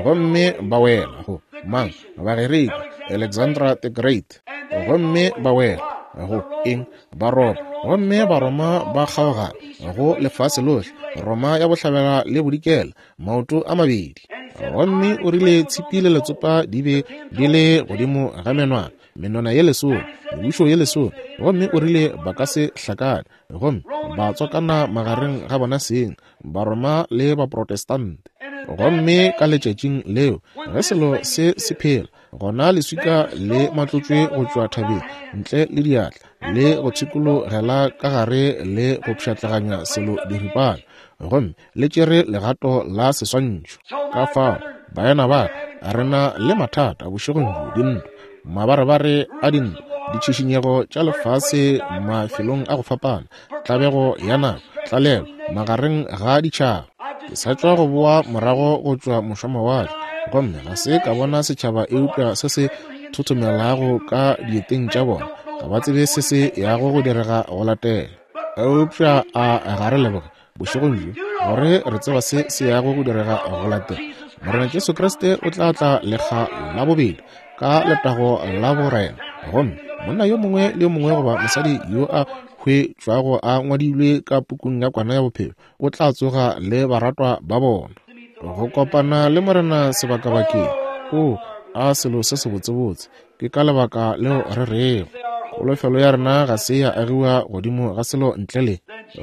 Gomme ba wela go mang? Bagerika, Alexandra the Great. Gomme ba wela go eng? Baroma. Gomme Baroma ba kgaogana go lefase lohle, Roma ya bohlabela le bodikela, maoto a mabedi. Gomme o rile tshipi le letsopa di be di le godimo ga menwana, menwana ye lesome, mebušo ye lesome. Gomme o rile ba ka se hlakane, gomme ba tswakana magareng ga bona seng, Baroma le Baprotestante. Gomme ka letšatšing leo ge selo se se phela, gona leswika le matlotšwe go tšwa thabeng ntle le diatla, le go tshikologela ka gare le go pšhatlaganya selo diripana, gomme le tšere legato la seswantšho. Ka fao, baena ba re na le mathata bošegong bjo, dintwa, mabarebare a dintwa, ditšhišinyego tša lefase mafelong a go fapana, tlabego ya nako, tlalelo magareng ga ditšhaba. Ke sa tšwa go boa morago go tšwa mošwamawatle, gomme ga se ka bona setšhaba eupša se se thothomelago ka dieteng tša bona. Ga ba tsebe se se yago go direga go latela. Eupša a ga re leboge bošegong bjo gore re tseba se se yago go direga go latela. Morena Jesu Kriste o tla tla lekga la bobedi ka letago la borena, gomme monna yo mongwe le yo mongwe goba mosadi yo a hwetšwago a ngwadilwe ka pukung ya kwana ya bophelo o tla tsoga le baratwa ba bona go kopana le Morena sebakabakeng. O a selo se sebotsebotse. Ke ka lebaka leo re rego kholofelo ya rena ga se ya agiwa godimo ga selo ntle le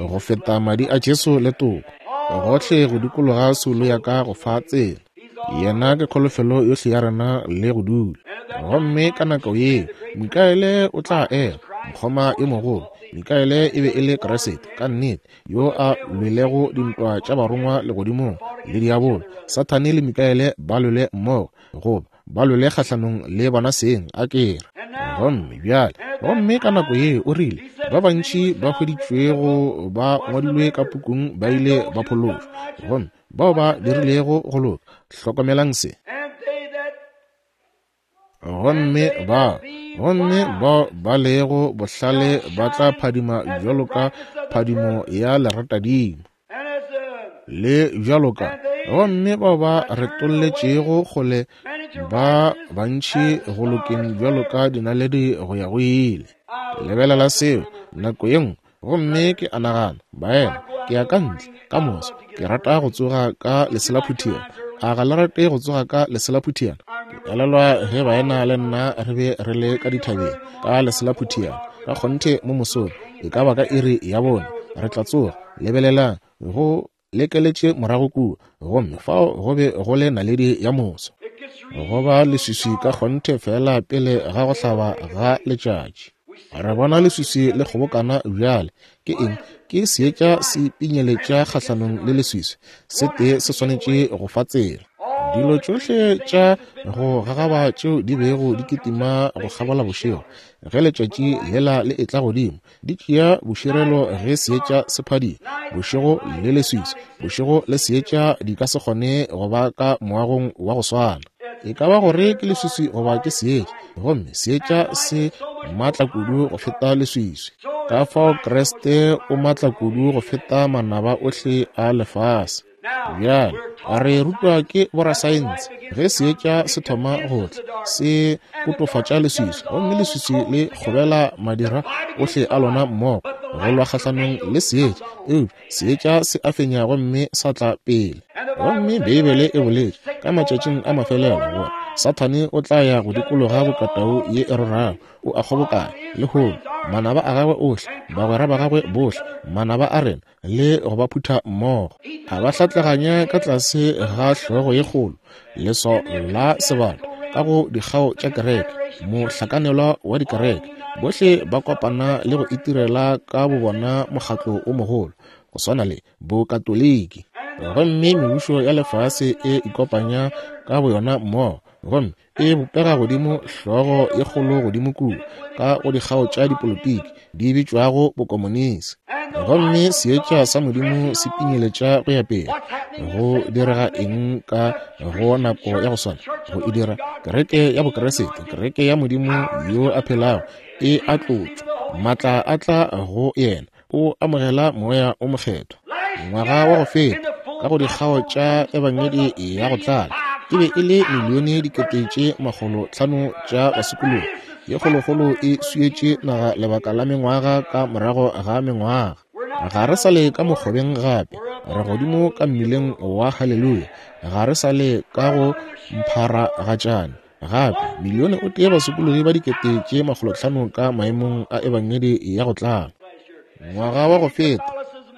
go feta madi a Jesu le toko gohle go dikologa soulo ya ka go fa tsela. Yena ke kholofelo yohle ya rena le go dula. Gomme ka nako yeo Mikaele o tla ema, mokgoma yo mogolo. Mikaele e be e le Kriste ka nnete, yo a lwelego dintwa tša barongwa legodimong le diabolo. Sathane le Mikaele ba lwele mmogo, goba ba lwele kgahlanong le bona seng, a kere. Gomme bjale, gomme ka nako yeo o rile ba bantši ba hweditšwego ba ngwadilwe ka pukung ba ile ba phološwa, gomme bao ba dirilego go loka. Hlokomelang se. Gomme ba gomme bao ba lego bohlale ba tla phadima bjalo ka phadimo ya leratadimo, le bjalo ka gomme bao ba retolletšego kgole ba bantši go lokeng bjalo ka dinaledi go ya go ile. Lebelela seo nako ye nngwe. Gomme ke a nagana, baena, ke ya ka ntle ka moso. Ke rata go tsoga ka leselaphutiana. A ga le rate go tsoga ka leselaphutiana? Elelwa ge baena le nna re be re le ka dithabeng ka Leselaphutheana, ka kgonthe mo mosong, e ka ba ka iri ya bone, re tla tsoga, lebelelang, go lekeletše morago kua, gomme fao go be go le naledi ya moso. Go ba leswiswi ka kgonthe fela pele ga go hlaba ga letšatši. Re bona leswiswi le kgobokana bjale. Ke eng? Ke seetša se pinyeletša kgahlanong le leswiswi. Se tee se swanetše go fa tsela. Dilo tšohle tša go gagaba tšeo di bego di kitima go kgabola bošego, ge letšatši lela le etla godimo, di tšea boširelo ge seetša se phadima. Bošego le leswiswi, bošego le seetša di ka se kgone go ba ka moagong wa go swana. E ka ba gore ke leswiswi goba ke seetša, gomme seetša se matla kudu go feta leswiswi. Ka fao Kriste o matla kudu go feta manaba ohle a lefase. Bjale re rutwa ke borasaense, ge seetša se thoma go tla, se kotofatša leswiswi, gomme leswiswi le kgobela madira ohle a lona mmogo go lwa kgahlanong le seetša, eupša seetša se a fenya gomme sa tla pele. Gomme Beibele e boletše ka matšatšing a mafelelo gore Sathane o tla ya go dikologa bokatau ye e rorago, o a kgobokanya lehono manaba a gagwe ohle, bagwera ba gagwe bohle, manaba a rena, le go ba phutha mmogo. A ba hlatlaganya ka tlase ga hlogo ye kgolo, leswao la sebata, ka go dikgao tša kereke, mohlakanelwa wa dikereke. Bohle ba kopana le go itirela ka bobona mokgatlo o mogolo, go swana le Bokatoliki. Gomme mebušo ya lefase e ikopanya ka boyona mmogo, gomme e bopega godimo hlogo ye kgolo godimo kua ka go dikgao tša dipolotiki di bitšwago bokomonisi. Gomme seetša sa Modimo se pinyeletša go ya pele. Go direga eng ka go nako ya go swana? Go e dira kereke ya Bokeresete, kereke ya Modimo yo a phelago, e a tlotšwa, matla a tla go yena, o amogela moya o mokgethwa. Ngwaga wa go feta ka go dikgao tša ebangedi ya go tlala, e be e le milione dikete tše makgolo hlano tša basokologi. Ye kgolokgolo e swietše naga lebaka la mengwaga ka morago ga mengwaga. Ga re sa le ka mokgobeng gape, re godimo ka mmileng wa haleluya. Ga re sa le ka go mpharagatšane gape. Milione o tee basokologi ba dikete tše makgolo hlano ka maemong a ebangedi ya go tlala. Ngwaga wa go feta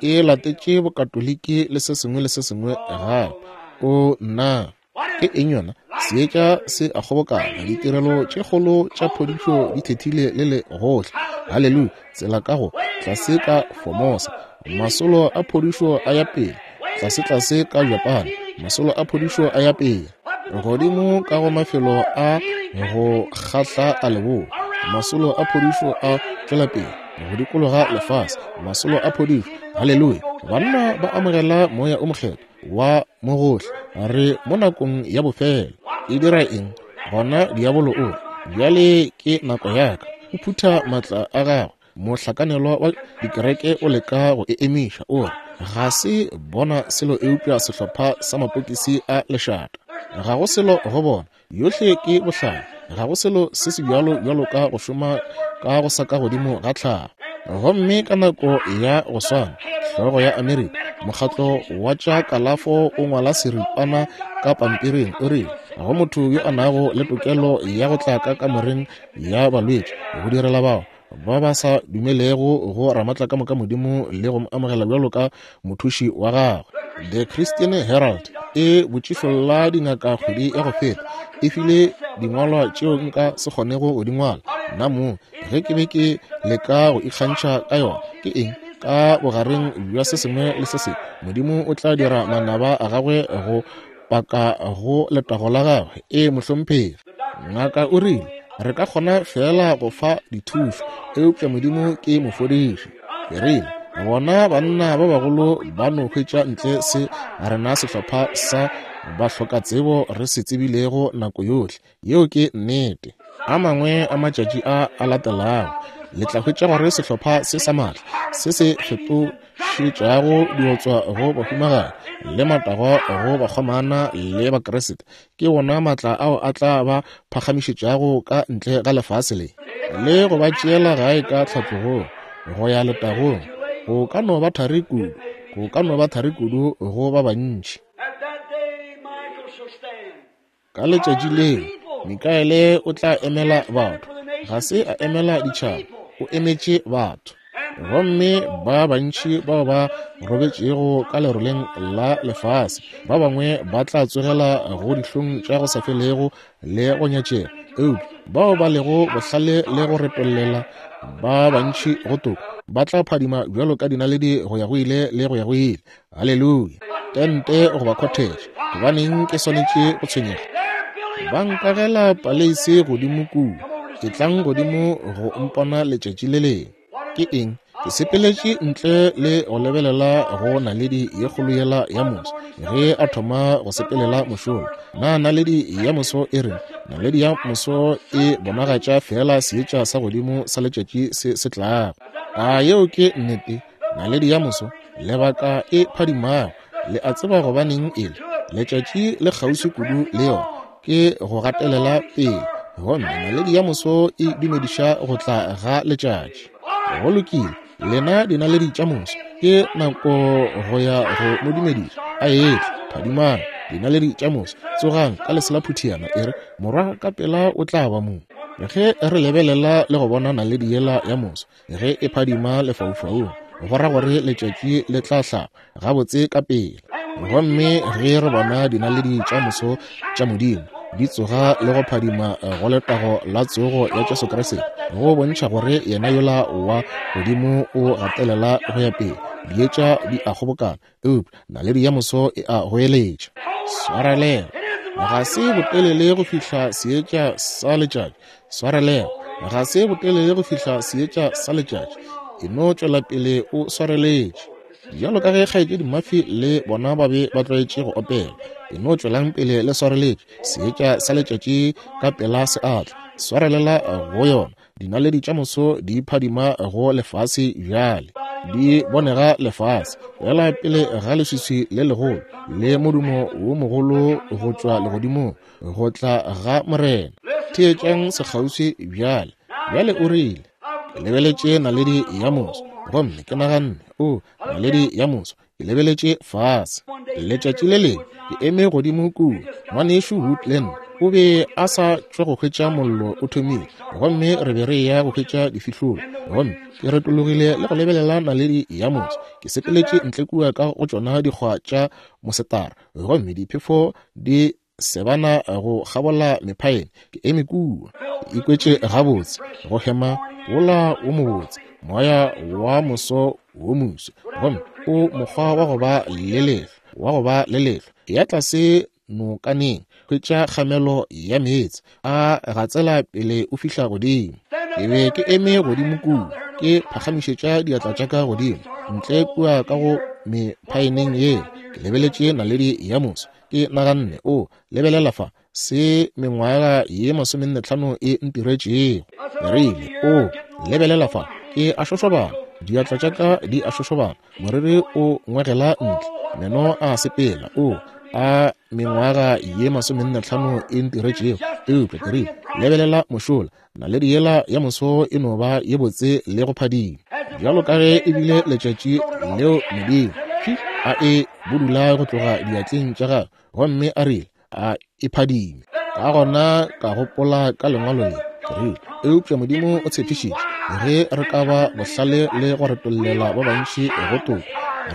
e latetše bokatoliki le se sengwe le se sengwe gape. O nna, ke eng yona? Seetša se a kgobokana, ditirelo tše kgolo tša phodišo di thethile le le gohle. Haleluya! Tsela ka go tlase ka Formosa, masolo a phodišo a ya pele. Tlase tlase ka Japan, masolo a phodišo a ya pele. Godimo ka go mafelo a go kgahla a leboa, masolo a phodišo a tšwela pele go dikologa lefase, masolo a phodišo. Haleluya! Banna ba amogela moya o mokgethwa wa mo gohle. Re mo nakong ya bofelo. E dira eng? Gona diabolo o re, bjale ke nako ya ka. O phutha matla a gagwe. Mohlakanelwa wa dikereke o leka go e emiša, o re, ga se bona selo eupša sehlopha sa mapokisi a lešata. Ga go selo go bona, yohle ke bohlale. Ga go selo se se bjalo bjalo ka go šoma ka go sa ka godimo ga tlhago. Gomme ka nako ya go swana, hlogo ya Amerika, mokgatlo wa tša kalafo o ngwala seripana ka pampiring, o rile go motho yo a nago le tokelo ya go tla ka kamoreng ya balwetši go direla bao ba ba sa dumelego go Ramatlakamoka Modimo le go mo amogela bjalo ka mothuši wa gagwe. The Christian Herald e botšišolla dingaka kgwedi ya go feta, e file dingwalwa tšeo nka se kgonego go di ngwala nna mong ge ke be ke leka go ikgantšha ka yona. Ke eng? Ka bogareng bja se sengwe le se sengwe, Modimo o tla dira manaba a gagwe go paka go letago la gagwe. E mohlomphegi. Ngaka o rile re ka kgona fela go fa dithušo, eupša Modimo ke mofodiši. Ke rile bona banna ba bagolo ba no hwetša ntle se rena sehlopha sa bahlokatsebo re se tsebilego nako yohle. Yeo ke nnete. A mangwe a matšatši a a latelago le tla hwetša gore sehlopha se sa matla se se fetošetšago diotswa go bahumagadi le matagwa go bakgomana le Bakeresete ke wona matla ao a tla ba phagamišetšago ka ntle ga lefase le le go ba tšeela gae ka tlhatlogong go ya letagong. Go ka no ba thari kudu, go ka no ba thari kudu go ba bantši. Ka letšatši leo Mikaele o tla emela batho. Ga se a emela ditšhaba, o emetše batho. Gomme ba bantši bao ba robetšego ka leroleng la lefase, ba bangwe ba tla tsogela go dihlong tša go sa felego le go nyatšega. Eupša bao ba lego bohlale le go retollela ba bantši go toka ba tla phadima bjalo ka dinaledi go ya go ile le go ya go ile. Haleluya! Tente goba cottage, gobaneng ke swanetše go tshwenyega? Ba nkagela paleise godimo kua. Etlang godimo go mpona letšatši le lengwe. Ke eng? Ke sepeletše ntle le go lebelela go naledi ye kgolo yela ya moso ge a thoma go sepelela mošola. Na naledi ya moso e reng? Naledi ya moso e bonagatša fela seetša sa godimo sa letšatši se se tlago. A yeo ke nnete? Naledi ya moso, lebaka e phadimago. Le a tseba gobaneng e le? Letšatši le kgauswi kudu le yona, ke go gatelela pele. Gomme naledi ya moso e dumediša go tla ga letšatši. Go lokile, lena dinaledi tša moso, ke nako go ya go mo dumediša. A etla, phadimang, dinaledi tša moso, tsogang ka lesela phuthiana, e re morwa ka pela o tla ba mo. Ge re lebelela le go bona naledi yela ya moso ge e phadima lefaufaung, go ra gore letšatši le tla hlaba gabotse ka pele. Gomme ge re bona dinaledi tša moso tša Modimo di tsoga le go phadima go letago la tsogo ya Jesu Kriste, go bontšha gore yena yola wa godimo o gatelela go ya pele. Dietša di a kgobokana, eupša naledi ya moso e a goeletša. Swarelela, ga se botelele go fihla seetša sa letšatši. Swarelela, ga se botelele go fihla seetša sa letšatši. E no tšwela pele o swareletše. Bjalo ka ge kgaetšedi Murphy le bona ba be ba tlwaetše go opela, e no tšwelang pele le swareletše. Seetša sa letšatši ka pela se atla. Swarelela go yona. Dinaledi tša moso di phadima go lefase bjale, di bonega lefase fela pele ga leswiswi le legolo le modumo wo mogolo go tšwa legodimong, go tla ga Morena. Theetšang sekgauswi bjale. Bjale o rile, ke lebeletše naledi ya moso, gomme ke naganne, o naledi ya moso, ke lebeletše fase. Letšatši le lengwe ke eme godimo kua, ngwanešu Woodland o be a sa tšwa go hwetša mollo o thomile, gomme re be re ya go hwetša difihlolo. Gomme ke retologile le go lebelela naledi ya moso. Ke sepeletše ntle kua ka go tšona dikgwa tša mosetara, gomme diphefo di sebana go kgabola mephaene. Ke eme kua, ke ikwetše gabotse, go hema wola wo mobotse, moya wa moso wo moso, gomme o mokgwa wa go ba le lehlwa, wa go ba le lehlwa. Ya tlase nokaneng, hwetša kgamelo ya meetse a gatsela pele o fihla godimo. Ke be ke eme godimo kua, ke phagamišetša diatla tša ka godimo ntle kua ka go mephaeneng ye. Ke lebeletše naledi ya moso, ke naganne, o lebelela fa se mengwaga ye masomenne tlhano e ntiretšego. Ke rile, o lebelela fa, ke a šošobana, diatla tša ka di a šošobana, moriri o ngwegela ntle, meno a sepela, o a mengwaga ye masomenne tlhano e ntiretšego. Eupša ke rile, lebelela mošola, naledi yela ya moso e no ba ye botse le go phadima bjalo ka ge e bile letšatši leo Modimo a e budula go tloga diatleng tša gagwe, gomme a rile a e phadime. Ka gona ka gopola ka lengwalo le, ke rile, eupša Modimo o tshepišitše ge re ka ba bohlale le go retollela ba bantši go toka,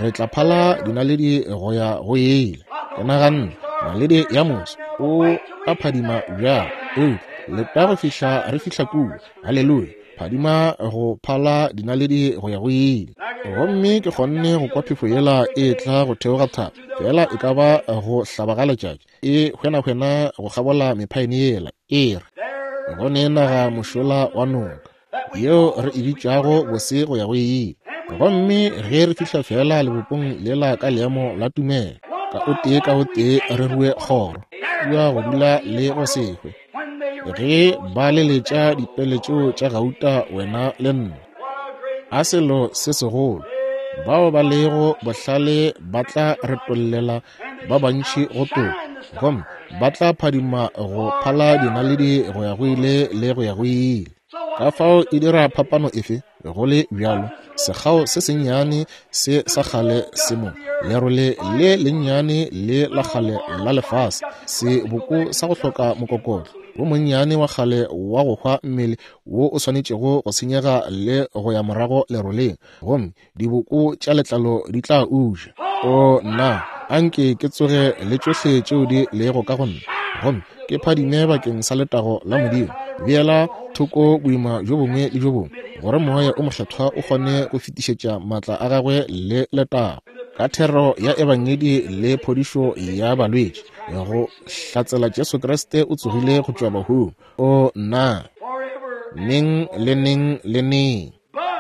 re tla phala dinaledi go ya go ile. Ke naganne, naledi ya moso o a phadima bjalo, eupša leta go fihla re fihla kua. Haleluya! Phadima go phala dinaledi go ya go ile. Gomme ke kgonne go kwa phefo yela e tla go theoga thaba, fela e ka ba go hlaba ga letšatši, e hwenahwena go kgabola mephaene yela, e re go ne naga mošola wa noka yeo re e bitšago bose go ya go ile. Gomme ge re fihla fela lebopong lela ka leemo la tumelo, ka o tee ka o tee re rue kgoro kua go dula le go se hwe, ge ba leletša dipele tšeo tša gauta wena le nna. A selo se segolo! Bao ba lego bohlale ba tla retollela ba bantši go toka, gomme ba tla phadima go phala dinaledi go ya go ile le go ya go ile. Ka fao e dira phapano efe? Go le bjalo, sekgao se sennyane se sa kgale se mo, lerole le lennyane le la kgale la lefase, seboko sa go hloka mokokotlo, wo monnyane wa kgale wa go hwa mmele wo o swanetšego go senyega le go ya morago leroleng, gomme diboko tša letlalo di tla uja. O nna, anke ke tsoge le tšohle tšeo di lego ka go nna, gomme ke phadime bakeng sa letago la Modimo. Beela thoko boima bjo bongwe le bjo bongwe, gore Moya o Mokgethwa o kgone go fetišetša maatla a gagwe le letago ka thero ya ebangedi le phodišo ya balwetši, go hlatsela Jesu Kriste o tsogile go tšwa bahung. O nna, neng le neng le neng.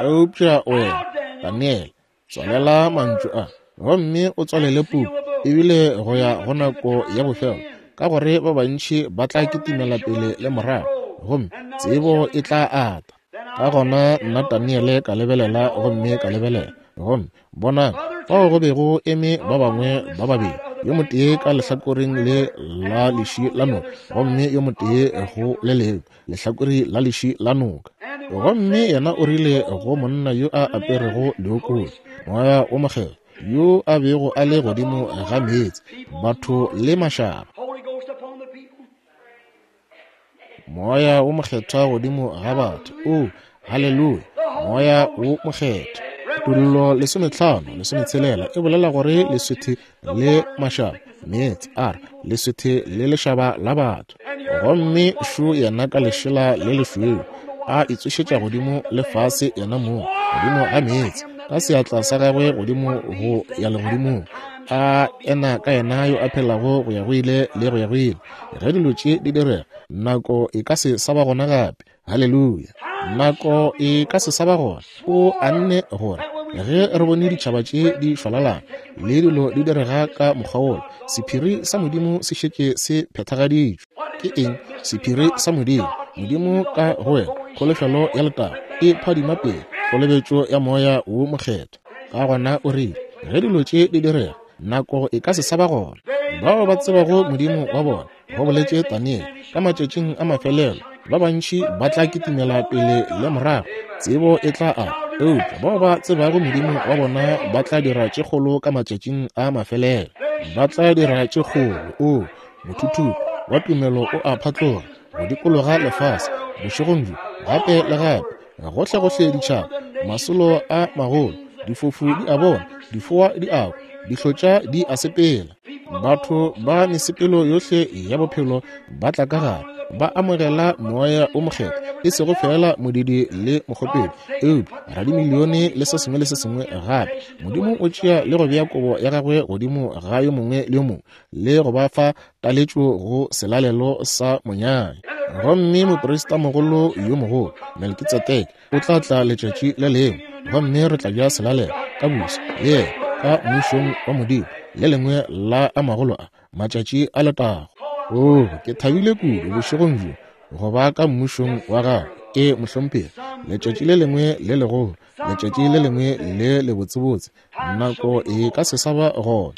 Eupša wena, Daniel, tswalela mantšu a, gomme o tswalele puku, ebile go ya go nako ya bofelo, ka gore ba bantši ba tla kitimela pele le morago, gomme tsebo e tla ata. Ka gona nna Daniele ka lebelela, gomme ka lebelela, gomme bonang, fao go bego eme ba bangwe ba babedi, yo motee ka lehlakoreng le la leši la noka, gomme yo motee go le lengwe lehlakore la leši la noka. Gomme yena o rile go monna yo a aperego leokodi, Moya o Mokgethwa, yo a bego a le godimo ga meetse, batho le mašaba. Moya o Mokgethwa godimo ga batho. O, haleluya, Moya o Mokgethwa. Tullo lesometlhano lesometshelela e bolela gore leswethe le mašaba, meetse a re leswethe le lešaba la batho. Gomme šo yena ka lešela le lešweu a itsošetša godimo le fase yena mong godimo ga meetse, ka seatla sa gagwe godimo go ya legodimong, a ena ka yena yo a phelago go ya go ile le go ya go ile. Ge dilo tše di direga, nako e ka se sa ba gona gape. Haleluya, nako e ka se sa ba gona. O anne gore ge re bone ditšhaba tše di šwalalana le dilo di direga ka mokgwa wola, sephiri sa Modimo se šetše se phethagaditšwe. Ke eng sephiri sa Modimo? Modimo ka go wena, kholofelo ya letago e phadima pele, kolobetšo ya Moya wo Mokgethwa. Ka gona o rile, ge dilo tše di direga, nako e ka se sa ba gona. Bao ba tsebago Modimo wa bona, go boletše Daniele, ka matšatšing a mafelelo ba bantši ba tla kitimela pele le morago, tsebo e tla ata. Eupša bao ba tsebago Modimo wa bona ba tla dira tše kgolo ka matšatšing a mafelelo. Ba tla dira tše kgolo. O mothuthupo wa tumelo o a phatloga go dikologa lefase bošegong bjo, gape le gape, gohlegohle ditšhaba, masolo a magolo, difofu di a bona, difoa di a kwa, dihlotša di a sepela. Batho ba mesepelo yohle ya bophelo ba tla ka gare, ba amogela Moya o Mokgethwa, e sego fela modidi le mokgopedi, eupša radimilione le se sengwe le se sengwe gape. Modimo o tšea le go bea kobo ya gagwe godimo ga yo mongwe le yo mongwe, le go ba fa taletšo go selalelo sa monyanya. Gomme moprista mogolo yo mogolo Melkitsedeke o tla tla letšatši le lengwe, gomme re tla ja selalelo ka buso le yena ka mmušong wa Modimo, le lengwe la a magolo a matšatši a letago. O, ke thabile kudu bošegong bjo go ba ka mmušong wa gagwe. Ke mohlomphegi, letšatši le lengwe le legolo, letšatši le lengwe le lebotsebotse, nako e ka se sa ba gona.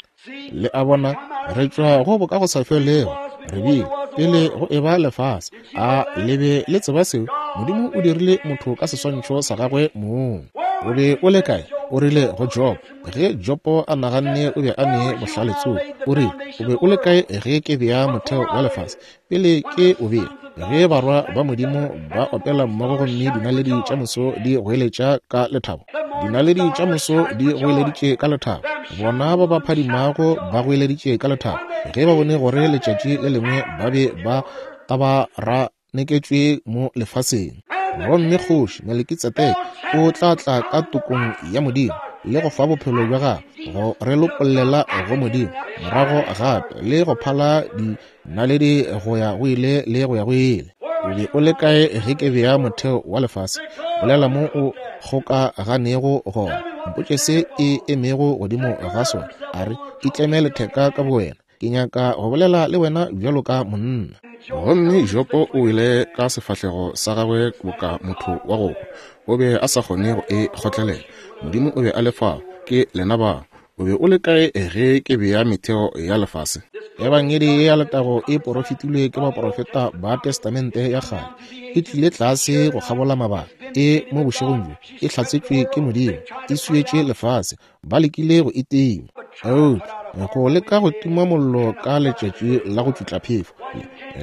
Le a bona, re tšwa go boka go sa felego, re bile pele go eba lefase. A le be le tseba seo? Modimo o dirile motho ka seswantšho sa gagwe mong. O be o le kae? O rile go Job, ge Jobo a naganne o be a ne bohlale tsogo, o rile, o be o le kae ge ke bea motheo wa lefase? Pele ke o bea, ge barwa ba Modimo ba opela mmogo gomme dinaledi tša moso di goeletša ka lethabo, dinaledi tša moso di goeleditše ka lethabo, bona ba ba phadimago ba goeleditše ka lethabo, ge ba bone gore letšatši le lengwe ba be ba tabaraneketšwe mo lefaseng. Gomme kgoši Melkitsedeke o tla tla ka tokong ya Modimo le go fa bophelo bja gagwe go re lopollela go Modimo morago gape le go phala dinaledi go ya go ile le go ya go ile. O be o le kae ge ke bea motheo wa lefase? Bolela mo o kgokaganego gona, mpotše se e emego godimo ga sona. A re, itleme letheka ka bowena, ke nyaka go bolela le wena bjalo ka monna. Gomme Jopo o ile ka sefahlego sa gagwe boka motho wa go hwa. O be a sa kgone go e kgotlelela. Modimo o be a le fao, ke lena bao. O be o le kae ge ke bea metheo ya lefase? Ebangedi ya letago e porofetilwe ke baporofeta ba Testamente ya kgale, e tlile tlase go kgabola mabaka, e mo bošegong bjo e hlatsetšwe ke Modimo, e swietše lefase, ba lekile go e tima. Eupša go leka go tima mollo ka letšatši la go tšutla phefo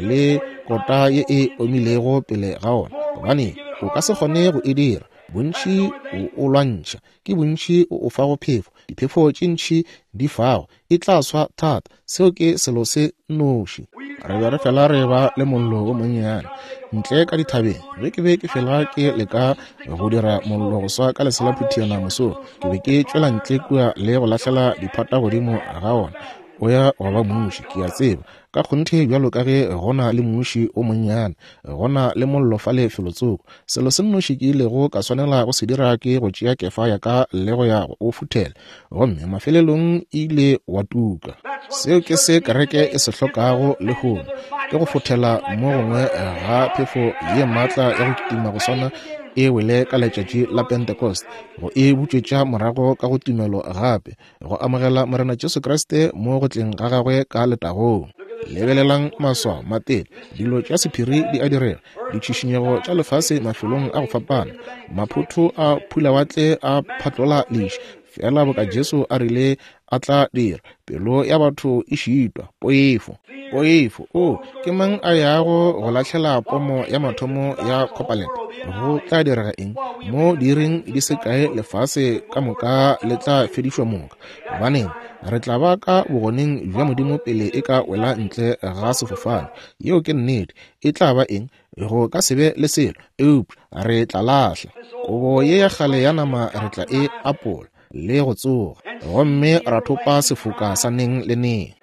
le kota ye e omilego pele ga ona, gobane o ka se kgone go e dira. Bontši o o lwantšha, ke bontši o o fago phefo, diphefo tše ntši di fago, e tla swa thata. Seo ke selo se nnoši. Re be re fela re ba le mollo wo monnyane ntle ka dithabeng. Ge ke be ke fela ke leka go dira mollo go swa ka leselaphutiana mosong, ke be ke tšwela ntle kua le go lahlela diphata godimo ga ona. O ya go ba muši, ke a tseba. Ka kgonthe bjalo ka ge go na le muši o monnyane, go na le mollo fale felotsoko. Selo se nnoši ke ilego ka swanela go se dira ke go tšea kefa ya ka le go ya go o futhela, gomme mafelelong e ile wa tuka. Seo ke se kereke e se hlokago lehono, ke go futhela mo gongwe ga phefo ye maatla ya go kitima go swana e wele ka letšatši la Pentecost, go e butšwetša morago ka go tumelo gape, go amogela Morena Jesu Kriste mo go tleng ga gagwe ka letagong. Lebelelang maswao, matete, dilo tša sephiri di a direga, ditšhišinyego tša lefase mafelong a go fapana, maphotho a phulawatle a phatlola leši, fela boka Jesu a rile a tla dira. Pelo ya batho e šitwa, poifo, poifo. O, ke mang a yago go lahlela pomo ya mathomo ya Copperland? Go tla direga eng? Mo diiring di se kae lefase ka moka le tla fedišwa moka. Gobaneng, re tla ba ka bogoneng bja Modimo pele e ka wela ntle ga sefofane. Yeo ke nnete. E tla ba eng? Go ka se be le selo, eupša re tla lahla kobo ye ya kgale ya nama, re tla e apola le go tsoga, gomme ra thopa sefoka sa neng le neng,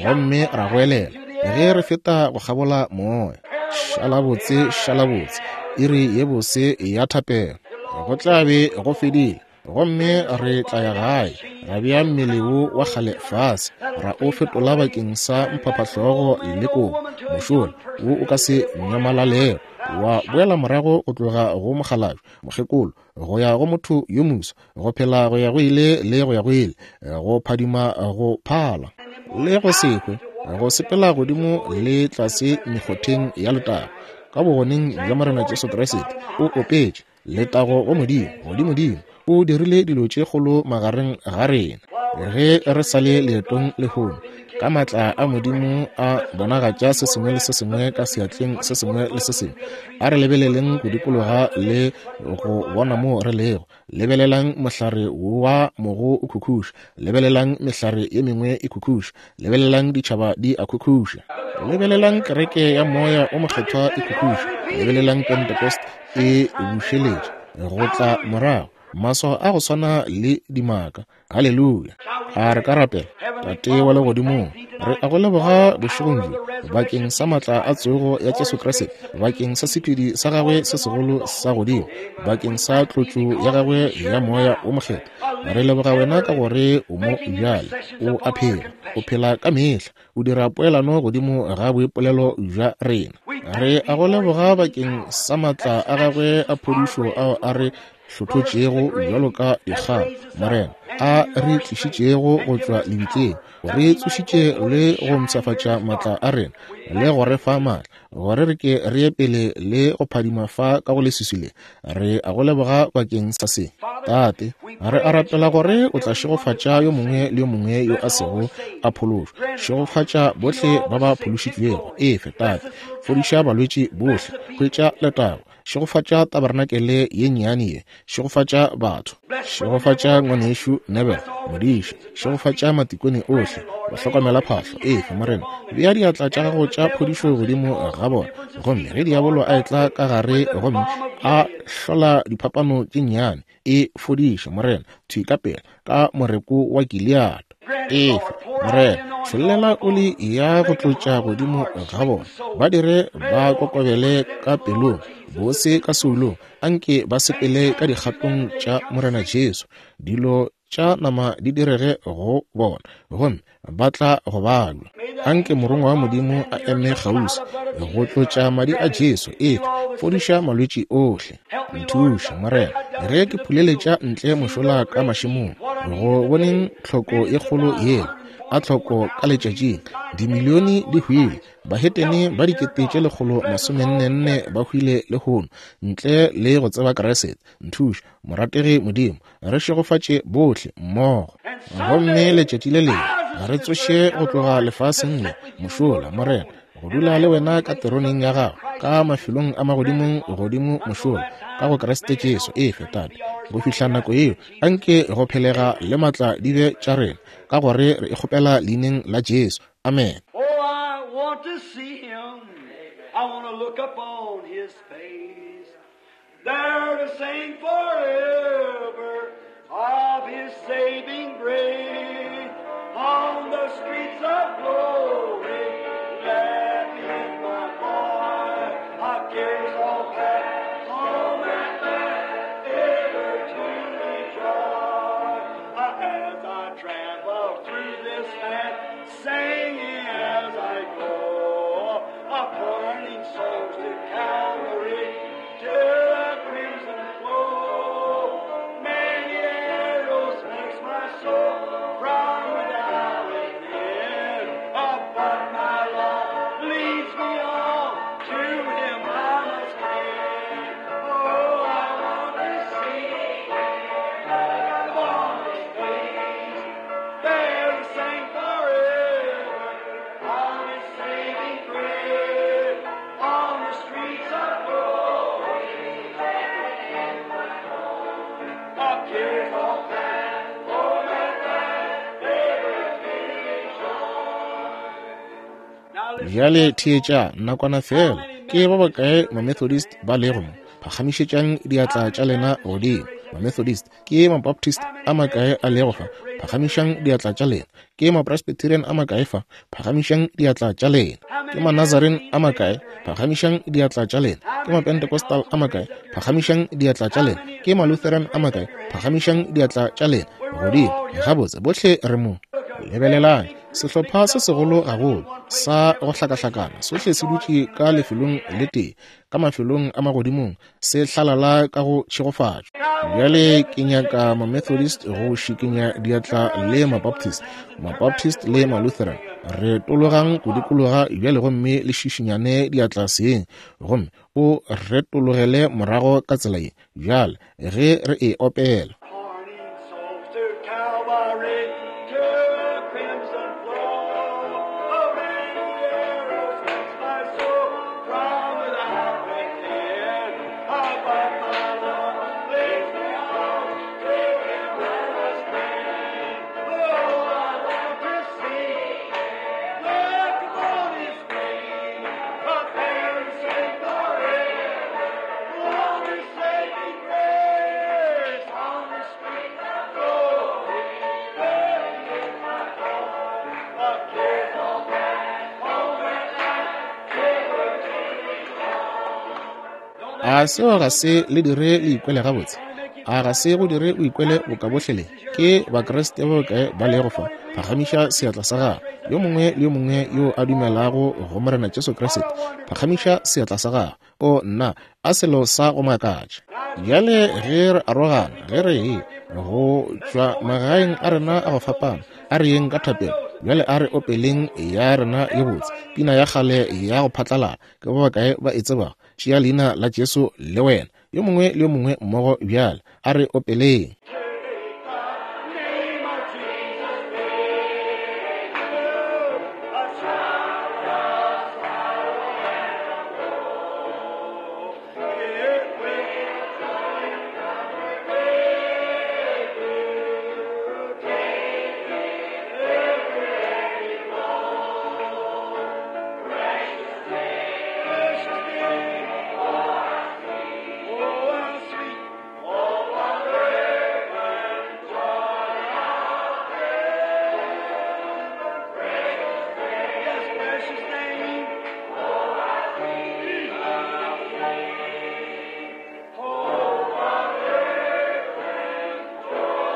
gomme ra goelela ge re feta go kgabola moya. Šala botse, šala botse, iri ye bose ya thapelo. Go tla be go fedile, gomme re tla ya gae, ra bea mmele wo wa kgale fase, ra o fetola bakeng sa mphaphahlogo le kobo, mošola wo o ka se nyamalalego, wa boela morago go tloga go mokgalabje mokgekolo go ya go motho yo moswa, go phela go ya go ile le go ya go ile, go phadima go phala le go se hwe, go sepela godimo le tlase mekgotheng ya letago ka bogoneng bja Morena Jesu Kriste. O opetše letago go Modimo, godimodimo. O dirile dilo tše kgolo magareng ga rena ge re sa le leetong lehono, ka maatla a Modimo a bonagatša se sengwe le se sengwe ka seatleng se sengwe le se sengwe. A re lebeleleng go dikologa le go bona mo re lego. Lebelelang mohlare wa mogo o khukhuša, lebelelang mehlare ye mengwe e khukhuša, lebelelang ditšhaba di a khukhuša, lebelelang kereke ya moya o mokgethwa e khukhuša, lebelelang Pentecost e bušeletša go tla morago, maswao a go swana le dimaka. Haleluya. A re ka rapela. Tate wa legodimong, re a go leboga bošegong bjo bakeng sa maatla a tsogo ya Jesu Kriste, bakeng sa sephedi sa gagwe se segolo sa godimo, bakeng sa tlotšo ya gagwe ya moya o mokgethwa. Re leboga wena ka gore o mo bjale, o a phela, o phela ka mehla, o dira poelano godimo ga boipolelo bja rena. Re a go leboga bakeng sa maatla a gagwe a phodišo ao a re hlothotšego bjalo ka dikgang, Morena, a re tlišitšego go tšwa lebitleng, re tsošitše le go mpshafatša maatla a rena le go re fa maatla gore re ke re ye pele le go phadima fa ka go leswiswi le. Re a go leboga bakeng sa se, Tate. Re a rapela gore o tla šegofatša yo mongwe le yo mongwe yo a sego a phološwa. Šegofatša bohle ba ba phološitšwego. Efe, Tate. Fodiša balwetši bohle. Hwetša letago. Šegofatša tabernakelye ye nnyane ye. Šegofatša batho. Šegofatša ngwanešu Nebel, modiši. Šegofatša matikone ohle, bahlokomela phahlo. Efe, Morena, bea diatla tša gago tša phodišo godimo ga bona, gomme ge diabolo a etla ka gare gomme a hlola diphapano tše nnyane, e fodiše, Morena, thwi ka pela ka moreko wa Gilead. Efe, Morena, tšhollela oli ya go tlotša godimo ga bona, ba dire ba kokobele ka pelong, bose ka soulong, anke ba sepele ka dikgatong tša Morena Jesu. Dilo tša nama di direge go bona, gomme ba tla go balwa. Anke morongwa wa Modimo a eme kgauswi go tlotša madi a Jesu. Efe, fodiša malwetši ohle. Nthuše, Morena, ge ke phuleletša ntle mošola ka mašemong, go boneng tlhoko ye kgolo yela a tlhoko ka letšatšing. Dimilione di hwile, bahetene ba dikete tše lekgolo masomennenne ba hwile lehono ntle le go tseba Kriste. Nthuše, morategi Modimo, re šegofatše bohle mmogo, gomme letšatši le lengwe re tsoše go tloga lefaseng le mošola, Morena, go dula le wena ka teroneng ya gago, ka mafelong a magodimong godimo mošola, ka go Kriste Jesu. Efe, Tate, go fihla nako yeo, anke go phelega le matla di be tša rena, ka gore re e kgopela leineng la Jesu. Amen. Oh, I want to see him. I want to look upon his face. There to sing forever of his saving grace. On the streets of glory, let in my voice. I cares all past, all that man ever to rejoice. As I travel through this land, singing as I go, pointing souls to Calvary, to the crimson flow. Many arrows vex my soul from without within, but my Lord leads me on to Him I must cling. Oh, I want to see Him on His face, there to sing forever of His saving grace. On the streets of glory, of tears all past, oh, that night, ever to rejoice. Now listen. Bjale theetša nakwana fela. Ke ba bakae ma-Methodist ba lego mo? Phagamišetšang diatla tša lena godimo. Ma-Methodist. Ke ma-Baptist a makae a lego fa? Phagamišang diatla tša lena. Ke ma-Presbyterian a makae fa? Phagamišang diatla tša lena. Ke ma-Nazarene a makae? Phagamišang diatla tša lena. Ke ma-Pentecostal a makae? Phagamišang diatla tša lena. Ke ma-Lutheran a makae? Phagamišang diatla tša lena godimo. Gabotse, bohle re mo. Lebelelang, sehlopha se segolo gagolo sa go hlakahlakana sohle se dutše ka lefelong le tee, ka mafelong a magodimong, se hlalala ka go tšhegofatšo. Bjale ke nyaka ma-Methodist go šikinya diatla le ma-Baptist, ma-Baptist le ma-Lutheran. Re tologang go dikologa bjale gomme le šišinyane diatla seng, gomme o retologele morago ka tsela ye bjale ge re e opela. Pointing souls to Calvary, to the crimson flow. Oh, many arrows vex my soul from without within. Ah, but my Lord leads me on to Him I must cling. Oh, I want to see Him, look upon His face, up there to sing forever. On His saving grace, on the street of glory, there is my heart. The cares all past, all that night, ever to rejoice. A seo ga se le dire le ikwele gabotse? A ga se go dire o ikwele boka bohle le? Ke Bakriste ba bakae ba lego fa? Phagamiša seatla sa gago. Yo mongwe le yo mongwe yo a dumelago go Morena Jesu Kriste, phagamiša seatla sa gago. O nna, a selo sa go makatša. Bjale ge re arogana, ge re ye go tšwa magaeng a rena a go fapana, a re yeng ka thapelo. Bjale a re opeleng ya rena ye botse, pina ya kgale ya go phatlalala. Ke ba bakae ba e tsebago? Tšea leina la Jesu le wena. Yo mongwe le yo mongwe mmogo bjale, a re opeleng. Take the name of Jesus, a shout of sorrow and woe. It will take every heavy load. Precious name, precious name, oh how sweet, oh what fragrant joy of heaven. Yes, precious name, oh how sweet, how sweet, oh what fragrant joy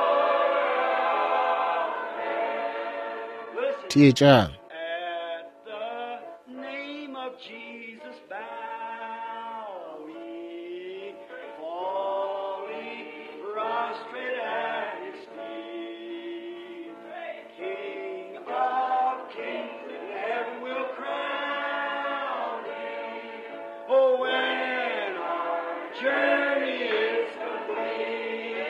of heaven. Listen. Theetšang. At the name of Jesus bow we, falling prostrate at his feet. King of kings in heaven will crown him. Oh, when our journey is complete,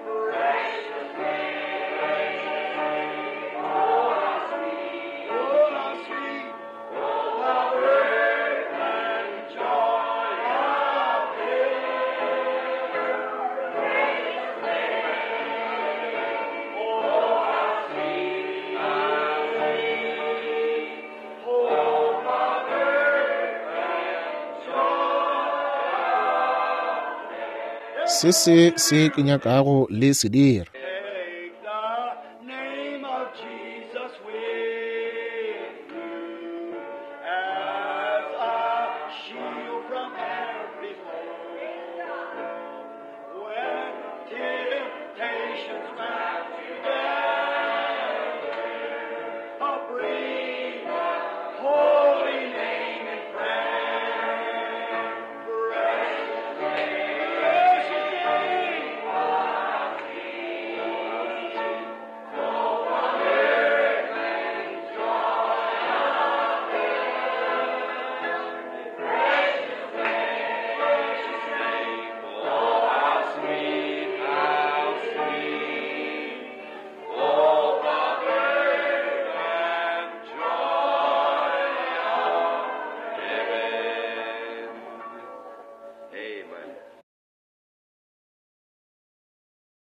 precious name, precious name, oh how sweet, oh how sweet, oh Se se se ke nyakago le se dira.